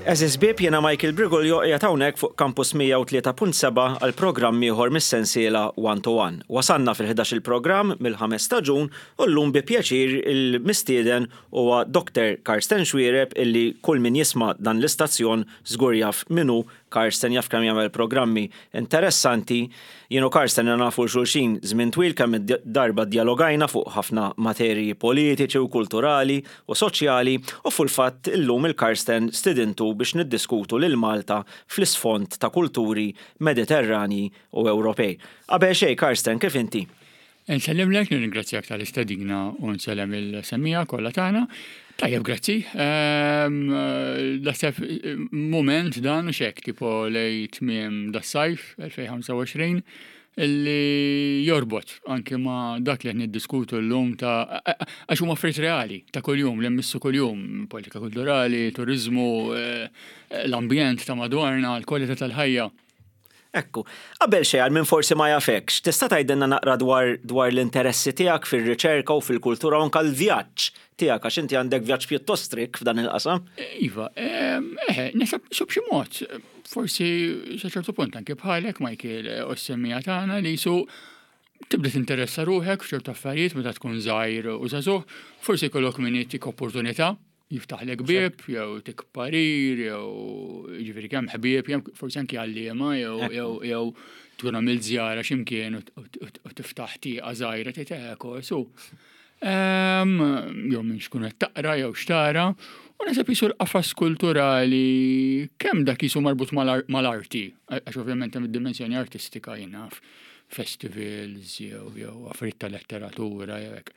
Għeżież ħbieb, jiena Michael Briguglio qiegħed hawnhekk fuq Campus 103.7 għal programm ieħor mis-sensiela One to One. Wasalna fil-ħdax-il programm mill-ħames staġun u llum bi pjaċir il-mistieden huwa Doctor Karsten Xuereb illi kull min jisma' dan l-istazzjon żgur jaf min hu Karsten jaf kemm jagħmel programmi interessanti. Jien u Karsten ilna nafu 'l xulxin żmien twil kemm darba ddjalogajna fuq ħafna materji politiċi u kulturali u soċjali u fil-fatt illum 'il Karsten stidintu biex niddiskutu lil Malta fl-isfond ta' kulturi Mediterranji u Ewropej. Qabel xejn Karsten kif inti? Insellimlek, nirringrazzjak tal-istedina u nsellem il-semmiegħa kollha tagħna. Tajjeb, grazzi. Ehm, naħseb mument dan u xek, tipo lej tmiem das-sajf 2025 illi jorbot anke ma dak li qed niddiskutu llum ta' għax huma affarijiet reali ta' kuljum li mmissu kuljum, politika kulturali, turiżmu, eh, l-ambjent ta' madwarna, l-kwalità tal-ħajja. Ekku. Qabel xejn, għal min forsi ma jafekx, tista' tgħidilna naqra dwar dwar l-interessi tiegħek fir-riċerka u fil-kultura u anke l-vjaġġ tiegħek għax inti għandek vjaġġ pjuttost rikk f'dan il-qasam. Iva, eħe, naħseb b'xi mod, forsi sa ċertu punt anke bħalek Michael u s-semmiegħa tagħna li jisu tibda tinteressa ruħek f'ċertu affarijiet meta tkun żgħir u żagħżugħ, forsi jkollok min jtik opportunità jiftaħlek bieb, jew tik parir, jew ġifieri kemm ħbieb, jew forsi anki għalliema, jew jew jew tkun għamilt żjara x'imkien u tiftaħ tieqa żgħira tgħid eh su. Ehm, jew minn xkun qed taqra jew xtara, u naħseb jisu l-qafas kulturali kemm dak jisu marbut mal-arti, għax ovvjament hemm id-dimensjoni artistika jien naf festivals jew jew affarijiet ta' letteratura jew hekk.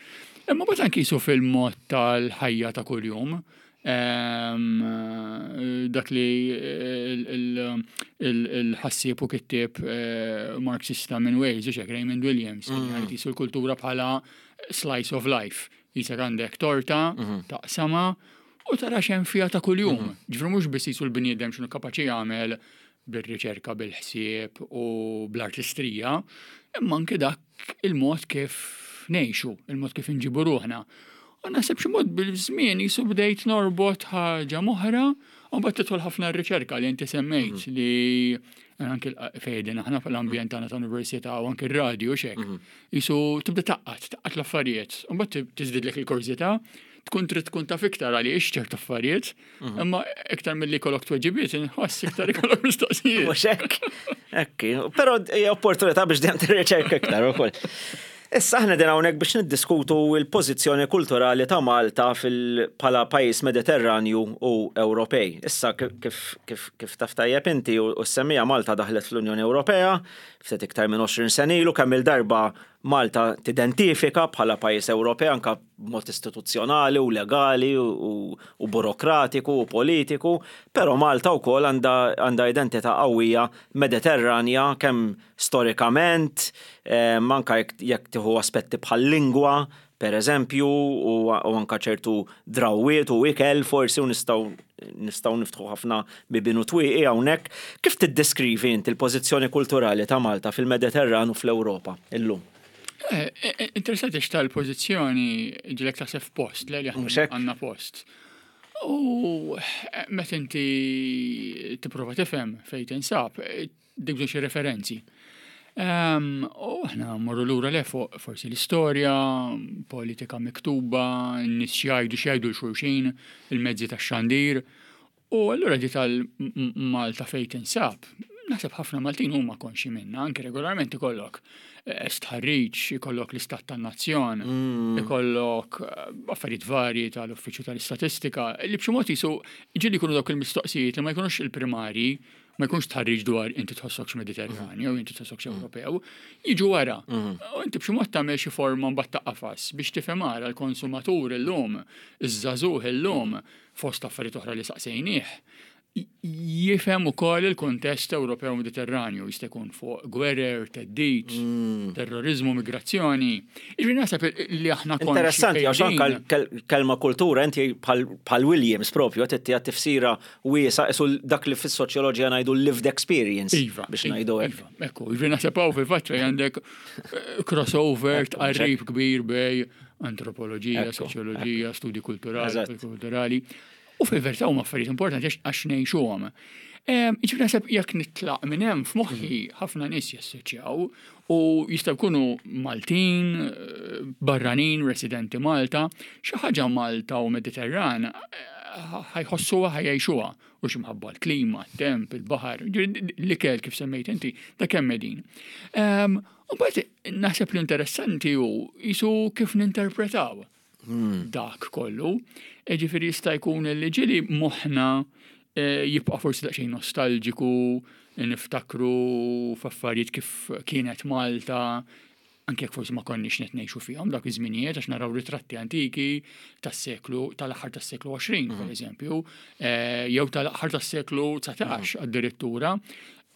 Imma mbagħad anki jisu fil-mod tal-ħajja ta' kuljum, ehm, dak li il-ħassieb u kittieb eh, Marxista minn Wales, u xek Raymond Williams, mm. jisu l-kultura bħala slice of life. Jisek għandek torta, mhm. taqsama, u tara xem fija ta' kuljum. Mhm. Ġifru mhux biss jisu l-bniedem x'inhu kapaċi jagħmel bir-riċerka, bil-ħsieb u bl-artistrija, imma anke dak il-mod kif ngħixu, il-mod kif inġibu ruħna. U naħseb xi mod bil-żmien jisu bdejt norbot ħaġa m'oħra, u mbagħad tidħol ħafna r-riċerka li inti semmejt mhm. li anke fejdin aħna fl-ambjent tagħna ta' università u anke r-radju xek. Mhm. Jisu tibda taqqat, taqqat l-affarijiet, u mbagħad tiżdidlek il-kurżità, tkun trid tkun taf iktar għaliex ċertu affarijiet, mhm. imma iktar milli jkollok tweġibiet, inħoss iktar ikollok mistoqsijiet. Mhux hekk. Hekk, però hija opportunità biex dejjem tirriċerka iktar ukoll. Issa aħna din hawnhekk biex niddiskutu l-pożizzjoni kulturali ta' Malta bħala pajjiż Mediterranju u Ewropej. Issa kif kif kif taf tajjeb inti u s-semmija Malta daħlet fl-Unjoni Ewropea ftit iktar minn 20 sena ilu kemm il-darba Malta tidentifika bħala pajjiż Ewropej anke b'mod istituzzjonali u legali u burokratiku u politiku, però Malta wkoll għandha identità qawwija Mediterranja kemm storikament, anke jekk tieħu aspetti bħal-lingwa, per eżempju, u anke ċertu drawwiet u ikel forsi u nistgħu nistgħu niftħu ħafna bibien u twieqi hawnhekk. Kif tiddeskrivi inti l-pożizzjoni kulturali ta' Malta fil-Mediterran u fl-Ewropa illum? Eh, eh, eh, interessanti x'tal-pożizzjoni ġilek taħseb f'post, le li għandna post. U meta inti tipprova tifhem fejn tinsab, dik bżonn xi referenzi. Ehm, u aħna morru lura le fuq forsi l-istorja, politika miktuba, n-nies x'jgħidu x'jgħidu l-xulxin, il-mezzi tax-xandir. U allura di tal-Malta fejn tinsab, naħseb ħafna Maltin huma konxi minna, anke regolarment ikollok eh, stħarriġ, ikollok l-istat tan-nazzjon, mm. ikollok eh, affarijiet varji tal-Uffiċċju tal-Istatistika, li b'xi mod jisu ġieli jkunu dawk il-mistoqsijiet li ma jkunux il-primarji, ma jkunx tħarriġ dwar inti tħossokx Mediterranju, mm. inti tħossokx mm. Ewropew, jiġu wara. Mm. U inti b'xi mod tagħmel xi forma mbagħad ta' qafas biex tifhem ara l-konsumatur illum, iż-żagħżugħ illum, fost affarijiet oħra li saqsejnieh, jifhem ukoll il-kuntest Ewropew Mediterranju, jista' jkun fuq gwerer, theddid, terrorizmu, migrazzjoni. Jiġifieri naħseb li aħna konxji. Interessanti għax anke l-kelma kultura inti bħal Williams propju qed ittiha tifsira wiesa' qisu dak li fis-soċjoloġija ngħidu lived experience. Iva. Biex ngħidu hekk. Iva, ekku, jiġifieri naħseb hawn fil-fatt fejn għandek eh, crossover tqarrib kbir bej antropoloġija, soċjoloġija, studi kulturali, kulturali. U fil-verità huma affarijiet importanti għax ngħixuhom. Ġifieri naħseb jekk nitlaq minn hemm f'moħħi ħafna nies jassoċjaw u jistgħu jkunu Maltin, barranin, residenti Malta, xi ħaġa Malta u Mediterran ħa jħossuha ħa jgħixuha u x'imħabba l-klima, t-temp, il-baħar, l-ikel kif semmejt inti, ta' kemm qegħdin. U mbagħad naħseb li interessanti hu jisu kif ninterpretaw dak kollu. Ġifieri jista' jkun li ġieli moħħna jibqa' forsi daqsxejn nostalġiku, niftakru f'affarijiet kif kienet Malta, anke jekk forsi ma konniex qed ngħixu fihom dak iż-żminijiet għax naraw ritratti antiki tas-seklu tal-aħħar tas-seklu 20 pereżempju, jew tal-aħħar tas-seklu 19 addirittura.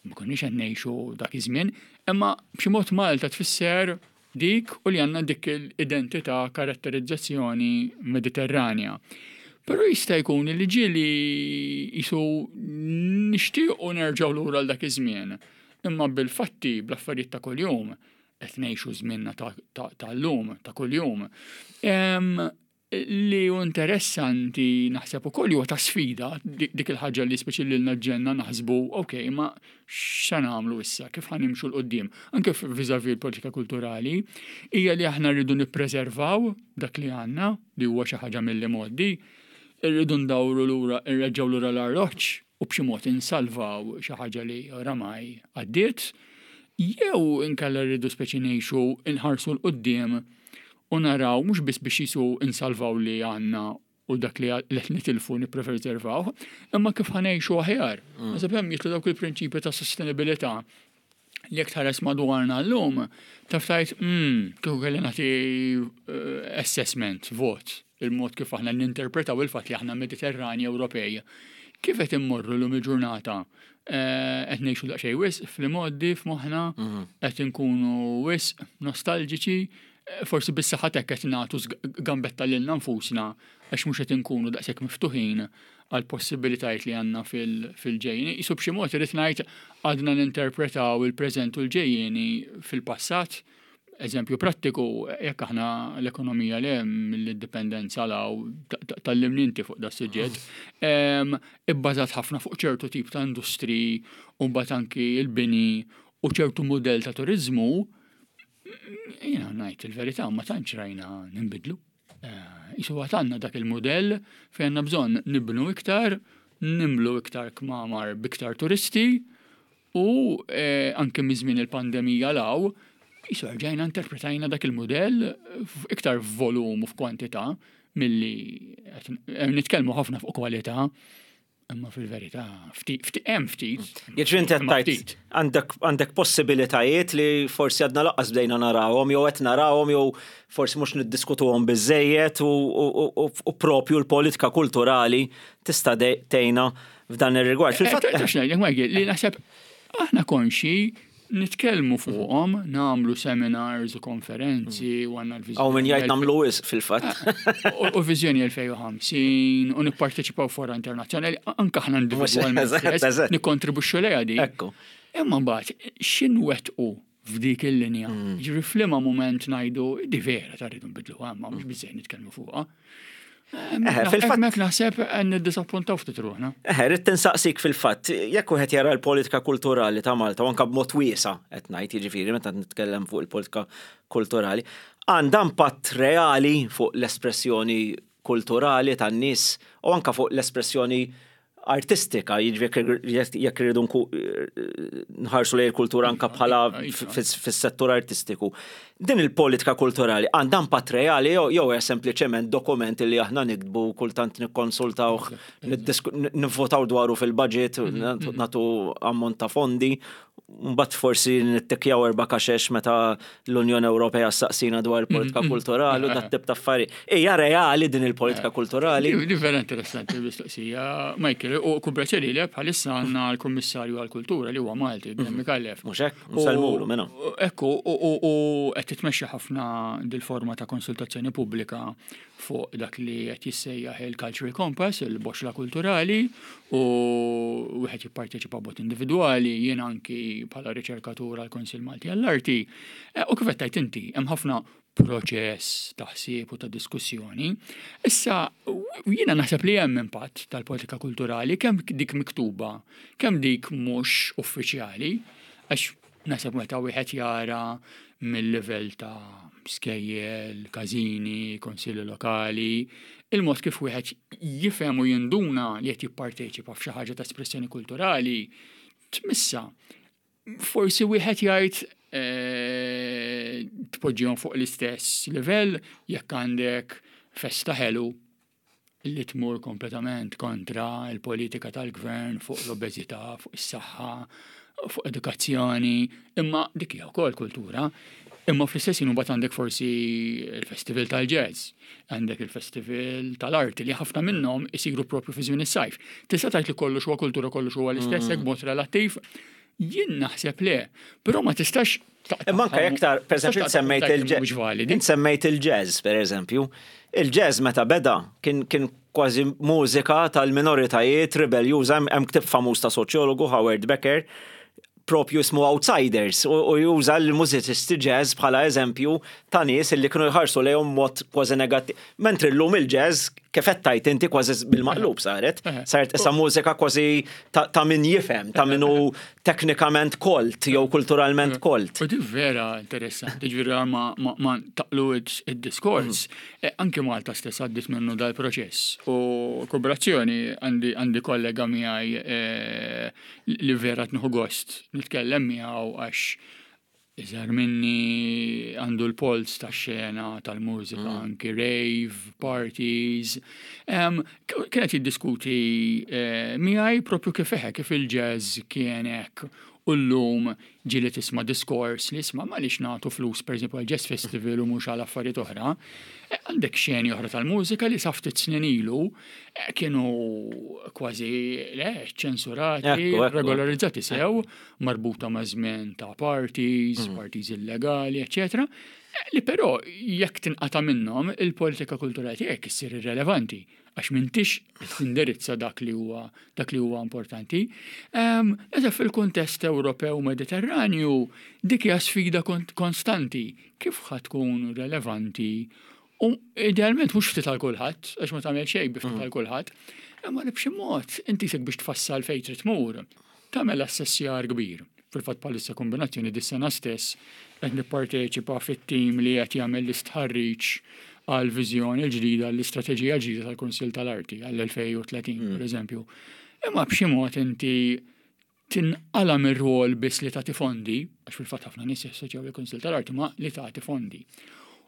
Ma konniex qed ngħixu dak iż-żmien, imma b'xi mod Malta tfisser dik u li għandna dik l-identità karatterizzazzjoni Mediterranja. Però jista' jkun li ġieli jisu nixtiequ nerġgħu lura għal dak iż-żmien. Imma bil-fatti, bl-affarijiet ta' kuljum, qed ngħixu żmienna tal-lum, ta' kuljum. Li hu interessanti naħseb ukoll huwa ta' sfida dik il-ħaġa li speċi lilna ġenna naħsbu, ok, ma x'se nagħmlu issa, kif ħa nimxu 'l quddiem, anke vis-à-vis l-politika kulturali, hija li aħna rridu nippreservaw dak li għandna, li huwa xi ħaġa mill-imgħoddi, irridu ndawru lura, nreġgħu lura l-arloġġ u b'xi mod insalvaw xi ħaġa li oramai għaddiet, jew inkella rridu speċi ngħixu nħarsu 'l quddiem u naraw mhux biss biex jisu insalvaw li għandna u dak li qed nitilfu nippreservawh, imma kif ħa ngħixu aħjar. Naħseb hemm jidħlu dawk il-prinċipji ta' sostenibilità li jekk tħares madwarna llum, taf tgħid, kieku kelli nagħti assessment, vot, il-mod kif aħna ninterpretaw il-fatt li aħna Mediterrani Ewropej. Kif qed immorru llum il-ġurnata? Qed ngħixu daqsxejn wisq fl-imgħoddi f'moħħna, qed inkunu wisq nostalġiċi, forsi bis-saħħa t'hekk qed nagħtu gambetta lilna nfusna għax mhux qed inkunu daqshekk miftuħin għal possibilitajiet li għandna fil-ġejjieni. Qisu b'xi mod irrid ngħid għadna ninterpretaw il-preżent u l-ġejjieni fil-passat. Eżempju prattiku, jekk aħna l-ekonomija li hemm mill-indipendenza 'l hawn, tgħallimni inti fuq das-suġġett, ibbażat ħafna fuq ċertu tip ta' industriji u mbagħad anki l-bini u ċertu mudell ta' turiżmu, jiena ngħid il-verità ma tantx rajna ninbidlu. Isu għad għandna dak il-mudell fejn għandna bżonn nibnu iktar, nimlu iktar kmamar b'iktar turisti u anke minn żmien il-pandemija 'l hawn, isu rġajna interpretajna dak il-mudell iktar f'volum u f'kwantità milli qed nitkellmu ħafna fuq kwalità. Imma fil-verità, ftit, hemm ftit. Jiġri inti qed tgħid għandek għandek possibilitajiet li forsi għadna laqqas bdejna narawhom jew qed narawhom jew forsi mhux niddiskutuhom biżejjed u propju l-politika kulturali tista' tgħinna f'dan ir-rigward. Fil-fatt. Ngħidlek Michael, li naħseb aħna konxi nitkellmu fuqhom, nagħmlu seminars u konferenzi u għandna l-viżjoni. Hawn min jgħid nagħmlu wisq fil-fatt. U viżjoni 2050 u nipparteċipaw fora internazzjonali, anke aħna individwalment nikkontribwixxu lejha di. Ekku. Imma mbagħad x'inwettqu f'dik il-linja? Ġifieri f'liema mument ngħidu di vera ta' rridu nbidluha, imma mhux biżejjed nitkellmu fuqha. Fil-fatt. Mek naħseb niddisappuntaw ftit ruħna. Eħe, rrid tinsaqsik fil-fatt, jekk wieħed jara l-politika kulturali ta' Malta, u anke b'mod wiesa' qed ngħid, jiġifieri meta nitkellem fuq il-politika kulturali, għandha impatt reali fuq l-espressjoni kulturali tan-nies u anke fuq l-espressjoni artistika, jiġifieri jekk irridu nħarsu lejn il-kultura anke bħala fis-settur artistiku. Din il-politika kulturali għandha impatt reali jew hija sempliċement dokument li aħna niktbu kultant nikkonsultawh, nivvotaw dwaru fil-budget, nagħtu ammont ta' fondi Mbagħad forsi nittikjaw erba' kaxex meta l-Unjoni Ewropea ssaqsina dwar il-politika kulturali u dat tip ta' affarijiet. Hija reali din il-politika kulturali? Di vera interessanti l-mistoqsija, Michael, u kun pjaċir li bħalissa għandna l-Kummissarju għall-Kultura li huwa Malti, Glenn Micallef. Mhux hekk? Nsellmulu minn hawn. Ekku, u qed titmexxa ħafna dil-forma ta' konsultazzjoni pubblika fuq dak li qed jissejjaħ il-Cultural Compass, il-boxla kulturali, u wieħed jipparteċipa b'mod individwali, jien anki bħala riċerkatur għall-Kunsill Malti għall-Arti. Eh, u kif qed tgħid inti, hemm ħafna proċess ta' ħsieb u ta' diskussjoni. Issa, jiena naħseb li hemm impatt tal-politika kulturali, kemm dik miktuba, kemm dik mhux uffiċjali, għax naħseb meta wieħed jara mill-livell ta' skejjel, każini, konsilli lokali, il-mod kif wieħed jifhem u jinduna li qed jipparteċipa f'xi ħaġa ta' espressjoni kulturali tmissa. Forsi wieħed jgħid eh, tpoġġihom fuq l-istess livell jekk għandek festa ħelu li tmur kompletament kontra l-politika tal-gvern fuq l-obeżità, fuq is-saħħa, fuq edukazzjoni, imma dik hija wkoll kultura. Imma fl-istess ħin imbagħad għandek forsi il-festival tal-jazz, għandek il-festival tal-arti li ħafna minnhom isiru propju fi żmien is-sajf. Tista' tgħid li kollox huwa kultura kollox huwa l-istess hekk b'mod relattiv. Jien naħseb le, però ma tistax Imma anke iktar, per eżempju, semmejt il-jazz. Int semmejt il-jazz, per eżempju. Il-jazz meta beda kien kien kważi mużika tal-minoritajiet ribeljuża, hemm ktieb famuż ta' soċjologu Howard Becker, propju jismu Outsiders u juża l-mużiċisti jazz bħala eżempju ta' nies li kienu jħarsu lejhom mod kważi negattiv. Mentri llum il-jazz kif qed tgħid inti kważi bil-maqlub saret. Saret issa mużika kważi ta' min jifhem, ta' min hu teknikament kolt jew kulturalment kolt. U din vera interessanti, ġifieri ma taqlu id-diskors. Mm. Anki Malta stess għaddit minnu dal-proċess. U kooperazzjoni għandi kollega miegħi eh, li vera tnieħu gost nitkellem miegħu għax iżgħar minni għandu l-polz tax-xena tal-mużika, mm. anki rave, parties. Kienet jiddiskuti eh, miegħi propju kif eħe, kif il-jazz kien hekk u llum ġieli tisma' diskors li isma' m'għaliex nagħtu flus pereżempju għal jazz festival u mhux għal affarijiet oħra. Eh, għandek xeni oħra tal-mużika li sa ftit snin ilu eh, kienu kważi le, ċensurati, regolarizzati sew, marbuta ma' żmien ta' parties, mm. parties illegali, eccetera. Eh, li però jekk tinqata' minnhom il-politika kulturali tiegħek issir irrelevanti għax m'intix tindirizza dak li huwa dak li huwa importanti. Ehm, Eżatt fil-kuntest Ewropew Mediterranju dik hija sfida konstanti kif ħa tkun relevanti u idealment mhux ftit għal kulħadd, għax ma tagħmel xejn bi ftit mm. għal kulħadd, imma li b'xi mod inti sek biex tfassal fejn trid tmur, tagħmel assessjar kbir. Fil-fatt bħalissa kombinazzjoni dis-sena stess qed nipparteċipa fit-tim li qed jagħmel l-istħarriġ għal viżjoni l-ġdida l-istrateġija ġdida tal-Kunsill tal-Arti għall-2030 mm. pereżempju. Imma b'xi mod inti tinqala' mir-rwol biss li tagħti fondi, għax fil-fatt ħafna nies jassoċjaw il-Kunsill tal-Arti ma' li tagħti fondi.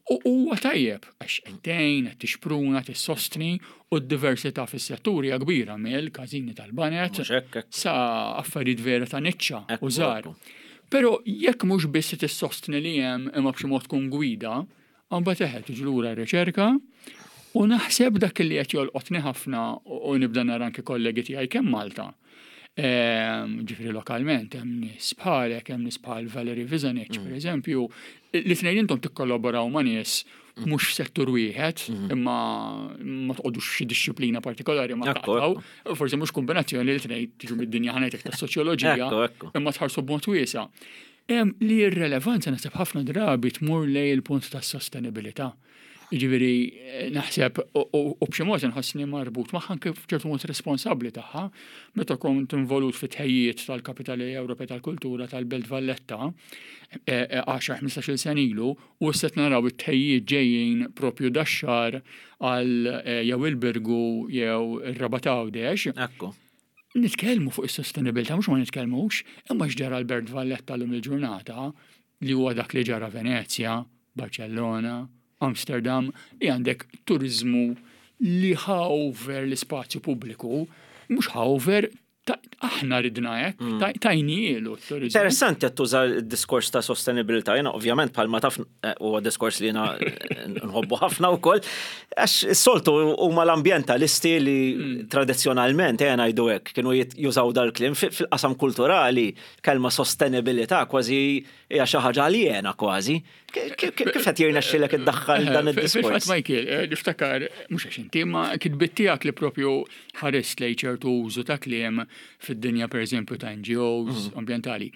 U huwa tajjeb għax qed tgħin, qed tixpruna, tissostni u d-diversità fis-settur hija kbira mill każini tal-banet sa affarijiet vera ta' niċċa u żgħar. Però jekk mhux biss tissostni li hemm imma b'xi mod tkun gwida, mbagħad eħe tiġi lura r-riċerka u naħseb dak li qed jolqotni ħafna u nibda nara anke kollegi tiegħi kemm Malta Ehm, ġifri lokalment, hemm nies bħalek, hemm nies bħal Valerie Vizanic, mm. per eżempju, li tnejn intom tikkollaboraw ma' nies mm. mhux settur wieħed, mm. imma ma tqogħdux xi dixxiplina partikolari ma taqtaw, forsi mhux kombinazzjoni li tnejn tiġu mid-dinja ħanajtek tas-soċjoloġija, imma tħarsu b'mod wiesa'. Li r-relevanza naħseb ħafna drabi tmur lej il-punt tas-sostenibilità. Jiġifieri naħseb u b'xi mod inħossni marbut magħha anke f'ċertu mod responsabbli tagħha. Meta kont involut fit-tħejjiet tal-Kapitali Ewropea tal Kultura tal-Belt Valletta 10-15-il e, sena ilu u issa qed naraw it-tħejjiet ġejjin propju dax-xahar għal e, jew il-Birgu jew ir-Rabat Għawdex. Ekku. Nitkellmu fuq is-sostenibilità mhux ma nitkellmux, imma x'ġara l-Belt Valletta llum il-ġurnata li huwa dak li ġara Venezja, Barcellona, Amsterdam, li għandek turiżmu li ħa over l-ispazju pubbliku, mhux ħa over Aħna ridna hekk, tajnielu t-turizmu. Interessanti qed tuża d-diskors ta' sostenibilità. Jiena ovvjament bħalma taf huwa diskors li jiena nħobbu ħafna wkoll. Għax is-soltu huma l-ambjentalisti li tradizzjonalment ejja ngħidu hekk kienu jużaw dal-kliem fil-qasam kulturali kelma sostenibilità kważi hija xi ħaġa aljena kważi. Kif qed jirnexxilek iddaħħal dan id-diskors? Fil-fatt Michael, niftakar mhux għax inti ma kitbiet tiegħek li propju ħarist lejn ċertu użu ta' kliem fid-dinja pereżempju ta' NGOs ambjentali.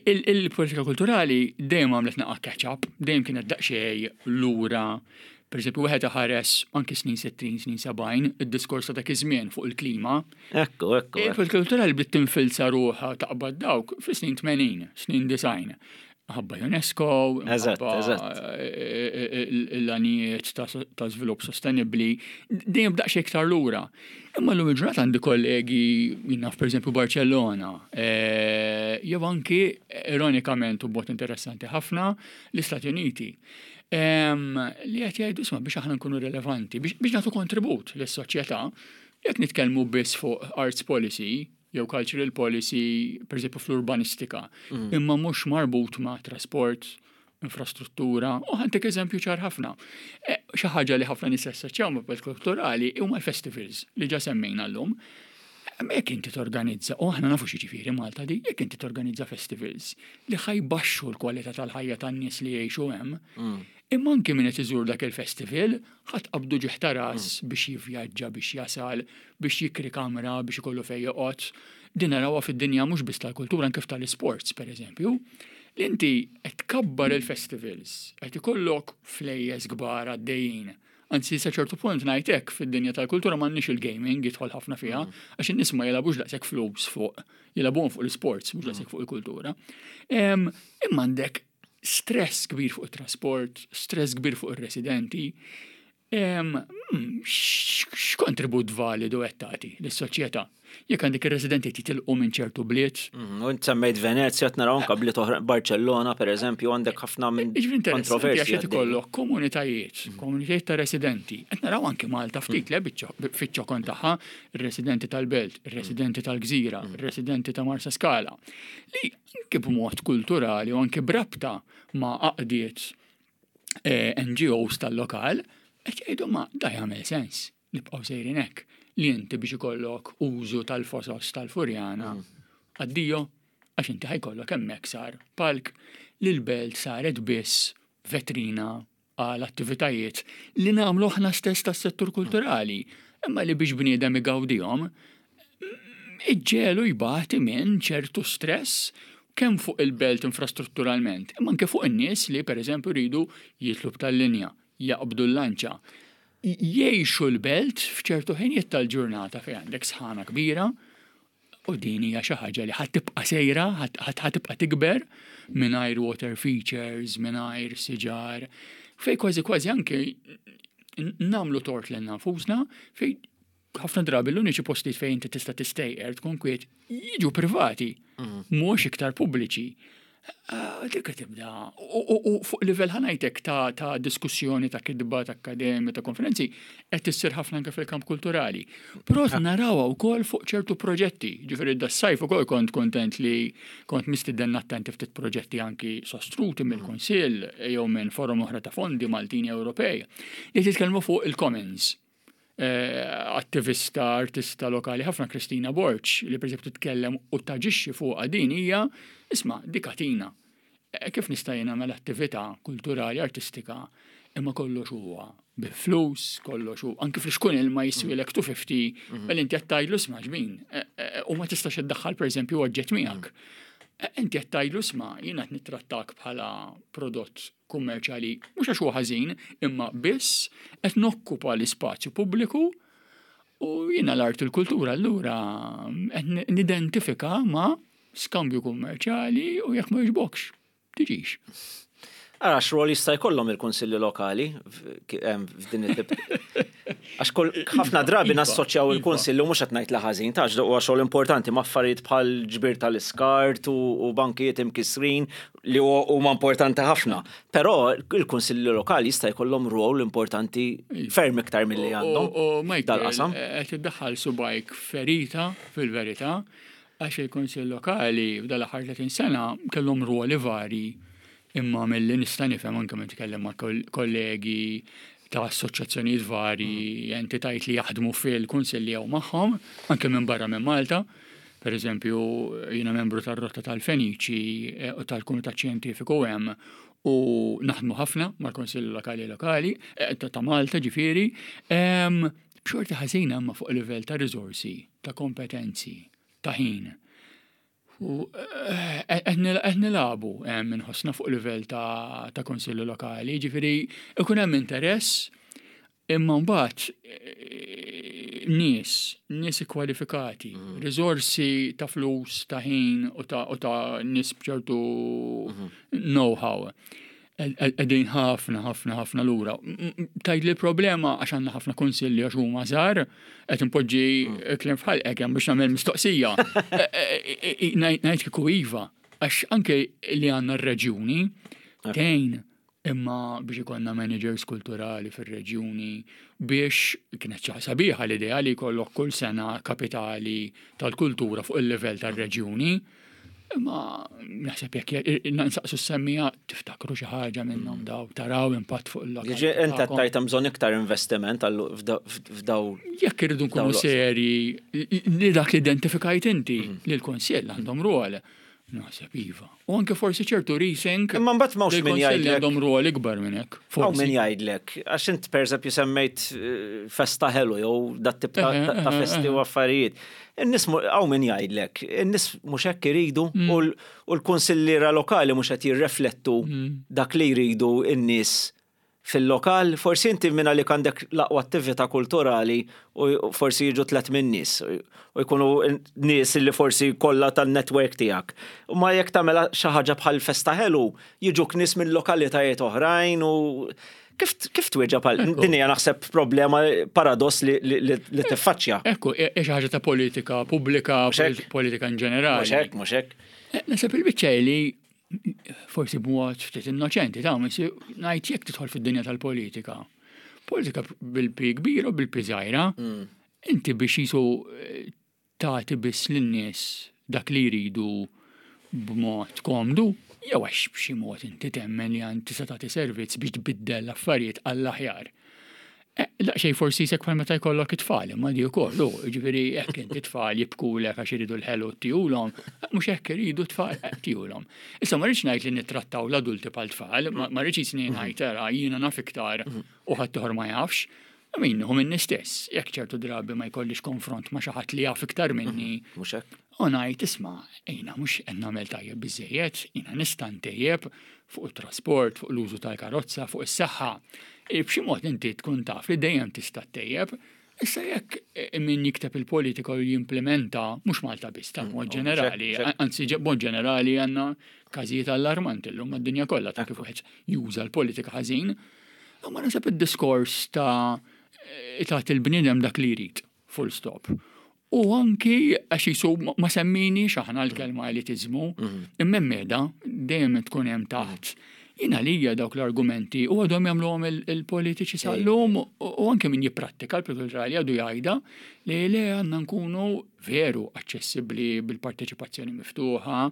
Il-politika kulturali dejjem għamlet naqa' catch-up, dejjem kienet daqsxejn lura. Pereżempju wieħed iħares anki snin 60, snin 70, id-diskors ta' dak iż-żmien fuq il-klima. Ekku, ekku. Il-politika kulturali bdiet tinfilza ruħha taqbad dawk fis-snin 80, snin 90. Ħabba UNESCO, ħabba l-għanijiet ta' żvilupp sostenibbli, dejjem daqsxejn iktar lura. Imma llum il-ġurnata għandi kollegi jien naf pereżempju Barcellona, jew anki ironikament u b'mod interessanti ħafna l-Istati Uniti. Li qed jgħidu isma' biex aħna nkunu rilevanti, biex nagħtu kontribut lis-soċjetà, jekk nitkellmu biss fuq arts policy, jew cultural policy, per eżempju fl-urbanistika, imma mhux marbut ma' trasport, infrastruttura, u ħantik eżempju ċar ħafna. Xi ħaġa li ħafna nies jassoċjaw ma' politika kulturali huma l-festivals li ġa semmejna llum. Imma jekk inti torganizza, u aħna nafu x'jiġifieri Malta di, jekk inti torganizza festivals li ħajbaxxu l-kwalità tal-ħajja tan-nies li jgħixu hemm, imma anki min qed iżur dak il-festival ħa tqabbdu ġieħ ta' ras biex jivvjaġġa, biex jasal, biex jikri kamra, biex ikollu fejn joqgħod. Din narawha fid-dinja mhux biss tal-kultura anke tal-isports pereżempju, li inti qed tkabbar il-festivals, qed ikollok flejjes kbar għaddejjin. Anzi sa ċertu punt ngħid hekk fid-dinja tal-kultura m'għandniex il-gaming jidħol ħafna fiha, għax in-nies ma jilagħbux daqshekk flus fuq, jilagħbuhom fuq l-isports mhux daqshekk fuq il-kultura. Imma għandek stress kbir fuq it-trasport, stress kbir fuq ir-residenti. X'kontribut validu qed tagħti lis-soċjetà? Jekk għandek ir-residenti jitilqu minn ċertu bliet. U int semmejt Venezja, qed naraw anke bliet oħra, Barcellona pereżempju, għandek ħafna minn kontroversji. Għax qed ikollok komunitajiet, komunitajiet ta' residenti. Qed naraw anke Malta ftit le fiċ-ċokon tagħha, ir-residenti tal-belt, ir-residenti tal-gżira, ir-residenti ta' Marsaskala, li anke b'mod kulturali u anke b'rabta ma' għaqdiet NGOs tal-lokal, qed jgħidu ma da jagħmel sens nibqgħu sejrin hekk li inti biex ikollok użu tal-fosos tal-Furjana addio għax inti ħajkollok hemmhekk sar palk li l-belt saret biss vetrina għal attivitajiet li nagħmlu aħna stess tas-settur kulturali, imma li biex bniedem igawdihom iġġegħlu jbati minn ċertu stress kemm fuq il-belt infrastrutturalment, imma anke fuq in-nies li pereżempju jridu jitlu b'tal-linja, jaqbdu l-lanċa, jgħixu l-belt f'ċertu ħinijiet tal-ġurnata fejn għandek sħana kbira U din hija xi ħaġa li ħa tibqa' sejra, ħa tibqa' tikber mingħajr water features, mingħajr siġar, fej kważi kważi anke nagħmlu tort lil nfusna fej ħafna drabi l-uniċi postijiet fejn inti tista' tistejqer tkun kwiet jiġu privati, mhux iktar pubbliċi. Dik tibda. U fuq livell ħanajtek ta' diskussjoni, ta' kitba, ta' akkademja, ta' konferenzi, qed issir ħafna anke fil-kamp kulturali. Però narawha wkoll fuq ċertu proġetti. Ġifieri das-sajf ukoll kont kontent li kont mistieden nattenti ftit proġetti anki sostruti mill-Kunsill jew minn forum oħra ta' fondi Maltin Ewropej li titkellmu fuq il-commons. Attivista, artista lokali ħafna Kristina Borg li pereżempju titkellem u taġixxi fuqha din hija isma' dik għatina. Kif nista' jien nagħmel attività kulturali, artistika, imma kollox huwa bi flus, kollox hu anke fl-xkun ilma jiswielek 250, mela inti qed tgħidlu isma' ġbin u ma tistax iddaħħal pereżempju oġġett miegħek. Inti qed tgħidlu isma' jiena qed nittrattak bħala prodott kummerċjali mhux għax huwa ħażin, imma biss qed nokkupa l-ispazju pubbliku u jiena l-art u l-kultura allura qed nidentifika ma' skambju kummerċjali u jekk ma jogħġbokx, tiġix. Ara x'rol jista' jkollhom il-kunsilli lokali f'din it-tip. Għax kull ħafna drabi iva, nassoċjaw iva. il-kunsilli u mhux qed ngħid li ħażin ta' huwa xogħol importanti ma' affarijiet bħal ġbir tal-iskart u bankijiet imkissrin li huma importanti ħafna. Però il-kunsilli lokali jista' jkollhom rol importanti iva. ferm iktar milli għandhom. Dal-qasam. Qed iddaħħal subajk ferita fil-verità għax il-kunsill lokali f'dal-aħħar 30 sena kellhom ruoli vari Imma milli nista' nifhem anke meta nitkellem ma' kollegi ta' assoċjazzjonijiet vari, mm. entitajiet li jaħdmu fil-kunsilli jew magħhom, anke minn barra minn Malta. Per eżempju, jiena membru tar-Rotta tal-Feniċi eh, u tal-Kumitat Xjentifiku hemm u naħdmu ħafna mal-Konsilli Lokali Lokali eh, ta' Malta ġifieri. B'xorti ħażina imma fuq livell ta' riżorsi, ta' kompetenzi, ta' ħin. U eh, qed nilagħbu hemm inħossna fuq livell ta' konsilli lokali, ġifieri ikun hemm interess imma mbagħad eh, nies, nies ikkwalifikati, mm. riżorsi ta' flus, ta' ħin u ta' nies b'ċertu mhm. know-how qegħdin ħafna ħafna ħafna lura. Tgħid li problema għax għandna ħafna kunsilli għax huma żgħar, qed inpoġġi mm. kliem f'ħalqek hemm biex nagħmel mistoqsija. E, e, e, ngħid kieku iva, għax anke li għandna r-reġjuni tgħin imma biex ikollna managers kulturali fir-reġjuni biex kienet xi sabiħa l-idea li jkollok kull sena kapitali tal-kultura fuq il-livell tar-reġjuni. Imma naħseb jekk nsaqsu s-semmija tiftakru xi ħaġa minnhom daw, taraw impatt fuq il-lokal. Jiġi inti qed tgħid hemm bżonn iktar investiment f'daw. Jekk irridu nkunu seri li dak li identifikajt inti mm. li l-Kunsill għandhom rwol. Naħseb iva. U anke forsi ċertu rethink. Imma mbagħad m'hawnx min jgħidlek. Għandhom rwol ikbar minn hekk. Hawn min jgħidlek, għax int pereżempju semmejt eh, festa ħelu jew dat tip ta' eh, festi u affarijiet. In-nies hawn min jgħidlek, in-nies mhux hekk iridu mm. u l-kunsilliera lokali mhux qed jirreflettu mm. dak li jridu n-nies fil-lokal. Forsi inti minn għalik għandek l-aqwa attività kulturali u forsi jiġu tlet minn nies u jkunu nies li forsi kollha tan-network tiegħek. U ma jekk tagħmel xi ħaġa bħal festa ħelu, jiġuk nies minn lokalitajiet oħrajn u Kif, kif twieġeb għal din hija naħseb problema paradoss li, li, li, li tiffaċċja. Ekku, hija xi ħaġa ta' politika pubblika, politika in ġenerali. Mhux hekk, mhux hekk. Eh, naħseb il-biċċa li forsi b'mod ftit innoċenti ta' ngħid jekk tidħol fid-dinja tal-politika. Politika bil-pi kbir u bil-pi żgħira, mm. inti biex jisu eh, tagħti biss lin-nies dak li jridu b'mod komdu, jew għax b'xi mod inti temmen li għand tista' tagħti servizz biex tbiddel l-affarijiet għall-aħjar. Eh, daqsxejn forsi jisek bħal meta jkollok it-tfal, imma di wkoll, jiġifieri hekk inti tfal jibkulek għax iridu l-ħelu tihulhom, mhux hekk iridu tfal eh, tihulhom. Issa ma rridx ngħid li nittrattaw l-adulti bħal tfal, ma rridx jisni ngħid era jiena naf iktar u ħadd ma jafx, Min hu minni stess, jekk ċertu drabi ma jkollix konfront ma xi ħadd li jaf iktar minni. Mhm, mhux hekk. U ngħid isma' jiena mhux qed nagħmel tajjeb biżejjed, jiena nista' ntejjeb fuq it-trasport, fuq l-użu tal-karozza, fuq is-saħħa. E, b'xi mod inti tkun taf li dejjem tista' ttejjeb. Issa jekk e, min jikteb il-politika u jimplementa mhux Malta biss, ta' mod mm, ġenerali, anzi mod ġenerali għandna każijiet allarmanti llum mad-dinja kollha ta' kif wieħed juża l-politika ħażin. Imma naħseb id-diskors ta' tagħti l-bniedem dak li jrid, full stop. U anki għax jisu ma semminiex aħna l-kelma elitiżmu, mhm. imma meda dejjem tkun hemm taħt. Jien għalija dawk l-argumenti u għadhom jagħmluhom il-politiċi sal-lum u anke min jipprattika l-kulturali għadu jgħidha li le għandna nkunu veru aċċessibbli bil-parteċipazzjoni miftuħa.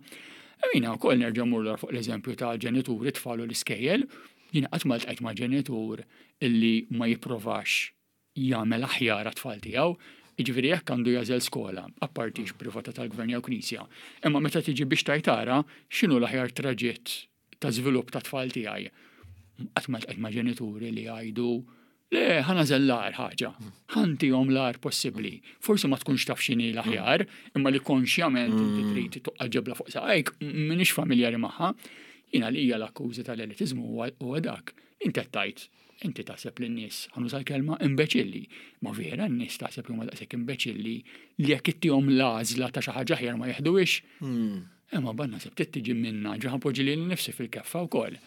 Jina wkoll nerġa' mur fuq l-eżempju ta' ġenituri tfal u l-iskejjel, Jiena qatt ma ltqajt ma' ġenitur illi ma jipprovax jagħmel aħjar għat-tfal tiegħu. Jiġifieri jekk għandu jagħżel skola, apparti hix privata tal-gvern jew knisja, imma meta tiġi biex tgħid ara x'inhu l-aħjar traġitt ta' żvilupp tat-tfal tiegħi. Qatt ma ltqajt ma' ġenituri li jgħidu le ħa nagħżel l-agħar ħaġa, ħa ntihom l-agħar possibbli. Forsi ma tkunx taf x'inhi l-aħjar, imma li konxjament inti mm. trid toqgħod ġebla fuq saqajk, m'iniex familjari magħha. Jiena li hija l-akkużi tal-elitiżmu huwa dak. Inti qed tgħid, inti taħseb li n-nies, ħa nuża l-kelma imbeċilli. Ma vera n-nies taħseb li huma daqshekk imbeċilli li jekk ittihom l-għażla ta' xi ħaġa aħjar ma jeħduhiex. Hmm. Imma ban naħseb trid tiġi minna, ġa ħa npoġġi lili nnifsi fil-keffa wkoll.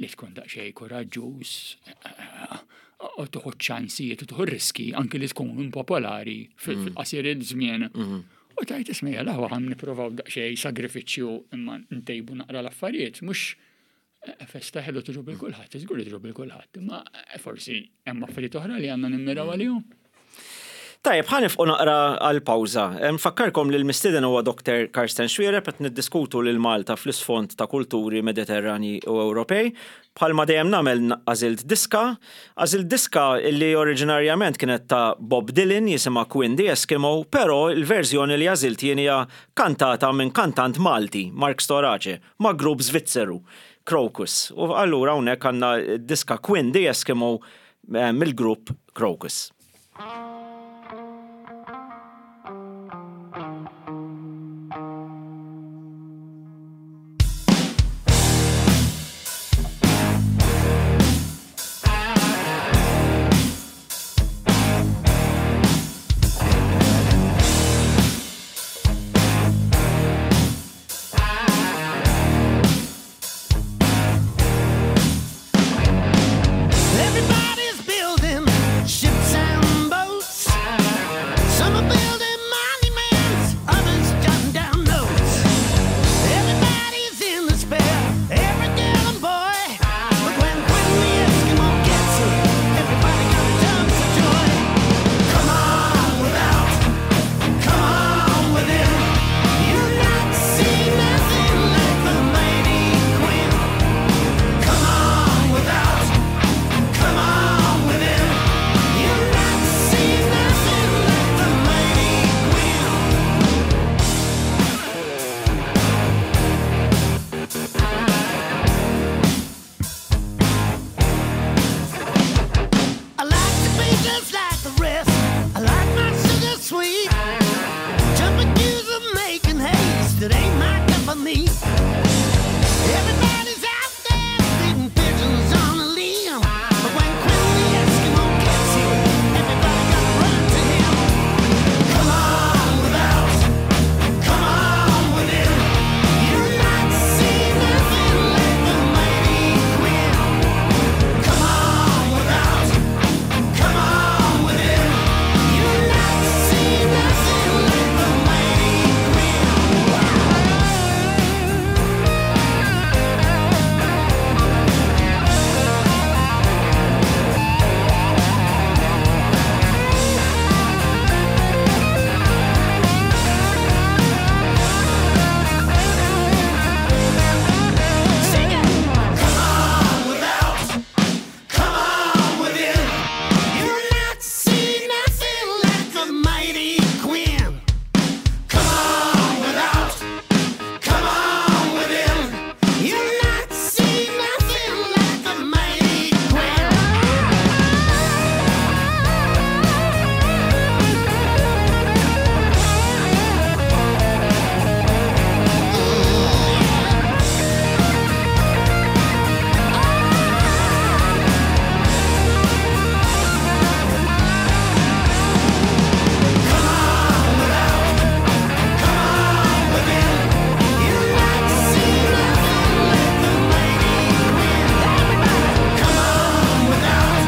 li tkun daqsxejn kuraġġuż u tuħu ċansijiet u tuħu riski anki li tkun impopolari fil-qasir il-żmien. U tajt isma' jalla ħa nippruvaw daqsxejn sagrifiċċju imma ntejbu naqra l-affarijiet, mhux festa ħelu togħġob lil kulħadd, żgur li togħġob lil kulħadd, imma forsi hemm affarijiet oħra li għandna nimmiraw għalihom. Tajjeb, ħa nieqfu naqra għal pawża. Nfakkarkom li l-mistieden huwa Dr. Karsten Xuereb qed niddiskutu lil Malta fl-isfond ta' kulturi Mediterranji u Ewropej. Bħalma dejjem nagħmel għażilt diska. Għażilt diska li oriġinarjament kienet ta' Bob Dylan jisimha Quinn the Eskimo, però l-verżjoni li għażilt jien hija kantata minn kantant Malti, Mark Storace, ma' grupp Svizzeru, Krokus. U allura hawnhekk għandna diska Quinn the Eskimo mill-grupp Krokus. Everybody's building ships and boats. Some are building monuments, others jotting down notes. Everybody's in despair, every girl and boy. But when Quinn the Eskimo gets here, everybody gonna jump for joy. Come on without, come on within. You'll not see nothing like the mighty Quinn. Come on without. Come on within. You'll not see nothing like the mighty Quinn. I like to be just like the rest. I like my sugar sweet. Jumping queues and making haste. It ain't my company. Everybody's out there feeding pigeons on a limb. But when Quinn the Eskimo gets here, everybody gotta run to him. Come on without, come on within. You'll not see nothing like the mighty Quinn. Come on without, come on within. You'll not see nothing like the mighty Quinn. Sing it. Come on without, come on within. You'll not see nothing like the mighty Quinn. Come on without, come on within. You'll not see nothing like the mighty Quinn. You'll not see nothing like the mighty Quinn. Come on without,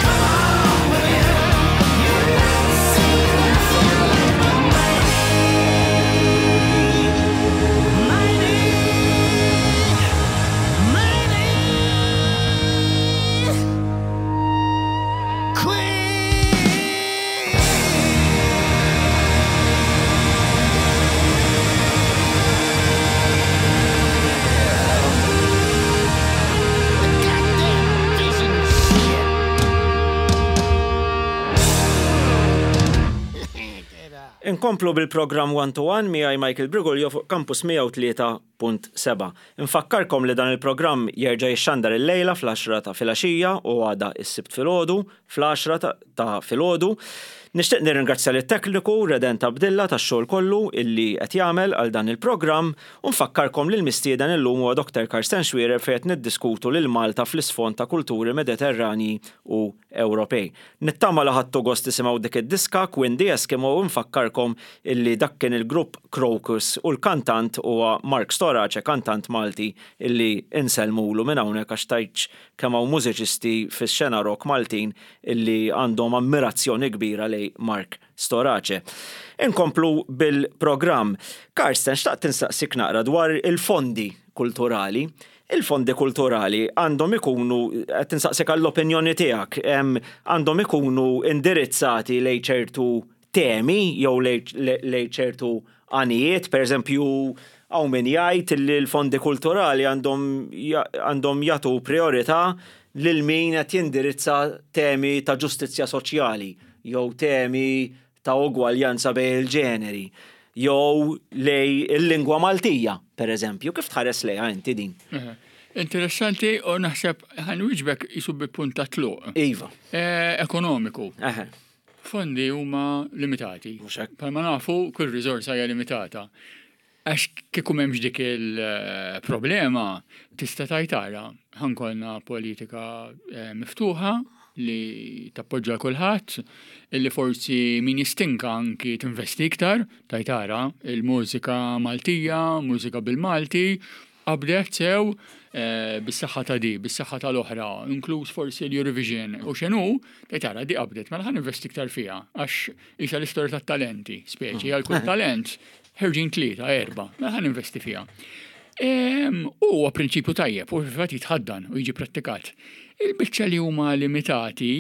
come on within. You'll not see nothing like the mighty, mighty, mighty Quinn. Goddamn vision shit. Inkomplu bil-programm One to One miegħi Michael Briguglio fuq Campus 103.7. Infakkarkom li dan il-programm jerġa' jixxandar il-lejla fl-10 ta' filgħaxija u għada is-Sibt filgħodu fl-10 ta' filgħodu. Nixtieq nirringrazzja lit-tekniku Redent Abdilla tax-xogħol kollu illi qed jagħmel għal dan il-programm u nfakkarkom li l-mistieden illum huwa Dr. Karsten Xuereb fejn qed niddiskutu lil Malta fl-isfond ta' kulturi Mediterranji u Ewropej. Nittama li ħadtu gost tisimgħu dik id-diska Quinn the Eskimo u nfakkarkom illi dak kien il-grupp Crocus u l-kantant huwa Mark Storace, kantant Malti illi insellmulu minn hawnhekk għax tgħidx kemm hawn mużiċisti fix-xena rock Maltin illi għandhom ammirazzjoni kbira lejn Mark Storace. Inkomplu bil-programm. Karsten, xtaqt insaqsik naqra dwar il-fondi kulturali. Il-fondi kulturali għandhom ikunu, qed insaqsik għall-opinjoni tiegħek, għandhom ikunu indirizzati lejn ċertu temi jew lejn ċertu għanijiet, per eżempju, hawn min jgħid li l-fondi kulturali għandhom għandhom jagħtu priorità lil min qed jindirizza temi ta' ġustizzja soċjali jew temi ta' ugwaljanza bejn il-ġeneri jew lejn il-lingwa Maltija, per eżempju. Kif tħares lejha inti din? Interessanti u naħseb ħa nwieġbek qisu bi punt ta' tluq. Iva. Ekonomiku. Fondi huma limitati. Mhux hekk. Bħalma nafu, kull riżorsa hija limitata. Għax kieku m'hemmx dik il-problema, tista' tgħid ara, ħa nkollna politika miftuħa li tappoġġa kulħadd, illi forsi min jistinka anki tinvesti iktar, tgħid ara, il-mużika Maltija, mużika bil-Malti, Qabdet sew bis-saħħa ta' di, bis-saħħa tal-oħra, inkluż forsi l-Eurovision u x'inhu, tgħid ara di qabdet, mela ħa ninvesti iktar fiha għax qisha l-istorja tat-talenti, speċi għal kull talent ħerġin tlieta, erba', mela ħa ninvesti fiha. U huwa prinċipju tajjeb u fil-fatt jitħaddan u jiġi prattikat. Il-biċċa li huma limitati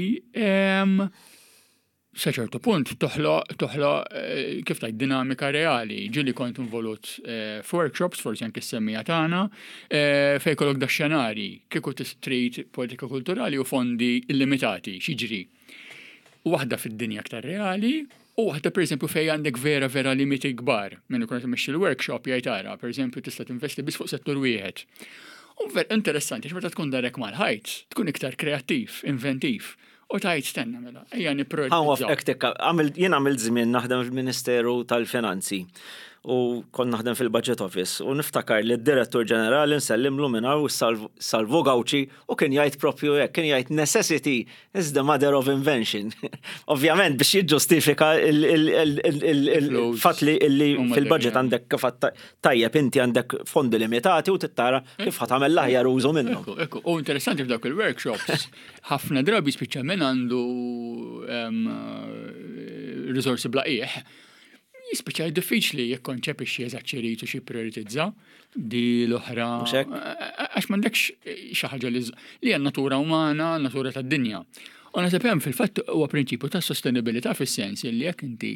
sa ċertu punt toħloq toħloq eh, kif tgħid dinamika reali. Ġieli kont involut eh, f'workshops, forsi anke s-semmija tagħna, eh, fejn kollok da xenari kieku trid politika kulturali u fondi illimitati, x'jiġri. Waħda fid-dinja aktar reali u waħda pereżempju fejn għandek vera vera limiti kbar. Min ikun qed imexxi l-workshop jgħid ara, pereżempju tista' tinvesti biss fuq settur wieħed. U ver interessanti, meta tkun darek mal-ħajt, tkun iktar kreattiv, inventiv. U tgħid stenna mela, ejja nipprioritizzaw. Tikka, jien għamilt żmien naħdem fil-Ministeru tal-Finanzi u kont naħdem fil-Budget Office u niftakar li d-Direttur Ġenerali nsellimlu minn hawn Salvu Gauci u kien jgħid propju hekk, kien jgħid necessity is the mother of invention. Ovvjament biex jiġġustifika il-fatt li fil-budget għandek kif tajjeb inti għandek fondi limitati u tittara kif ħa tagħmel l-aħjar użu minnhom. Ekku, u interessanti f'dawk il-workshops Ħafna drabi spiċċa min għandu riżorsi bla qiegħ, jispiċċa diffiċli jikkonċepixxi eżatt x'irid u x'jipprioritizza di l-oħra. Għax m'għandekx xi ħaġa li hija natura umana, natura tad-dinja. U naħseb hemm fil-fatt huwa prinċipju ta' sostenibilità fis-sens li jekk inti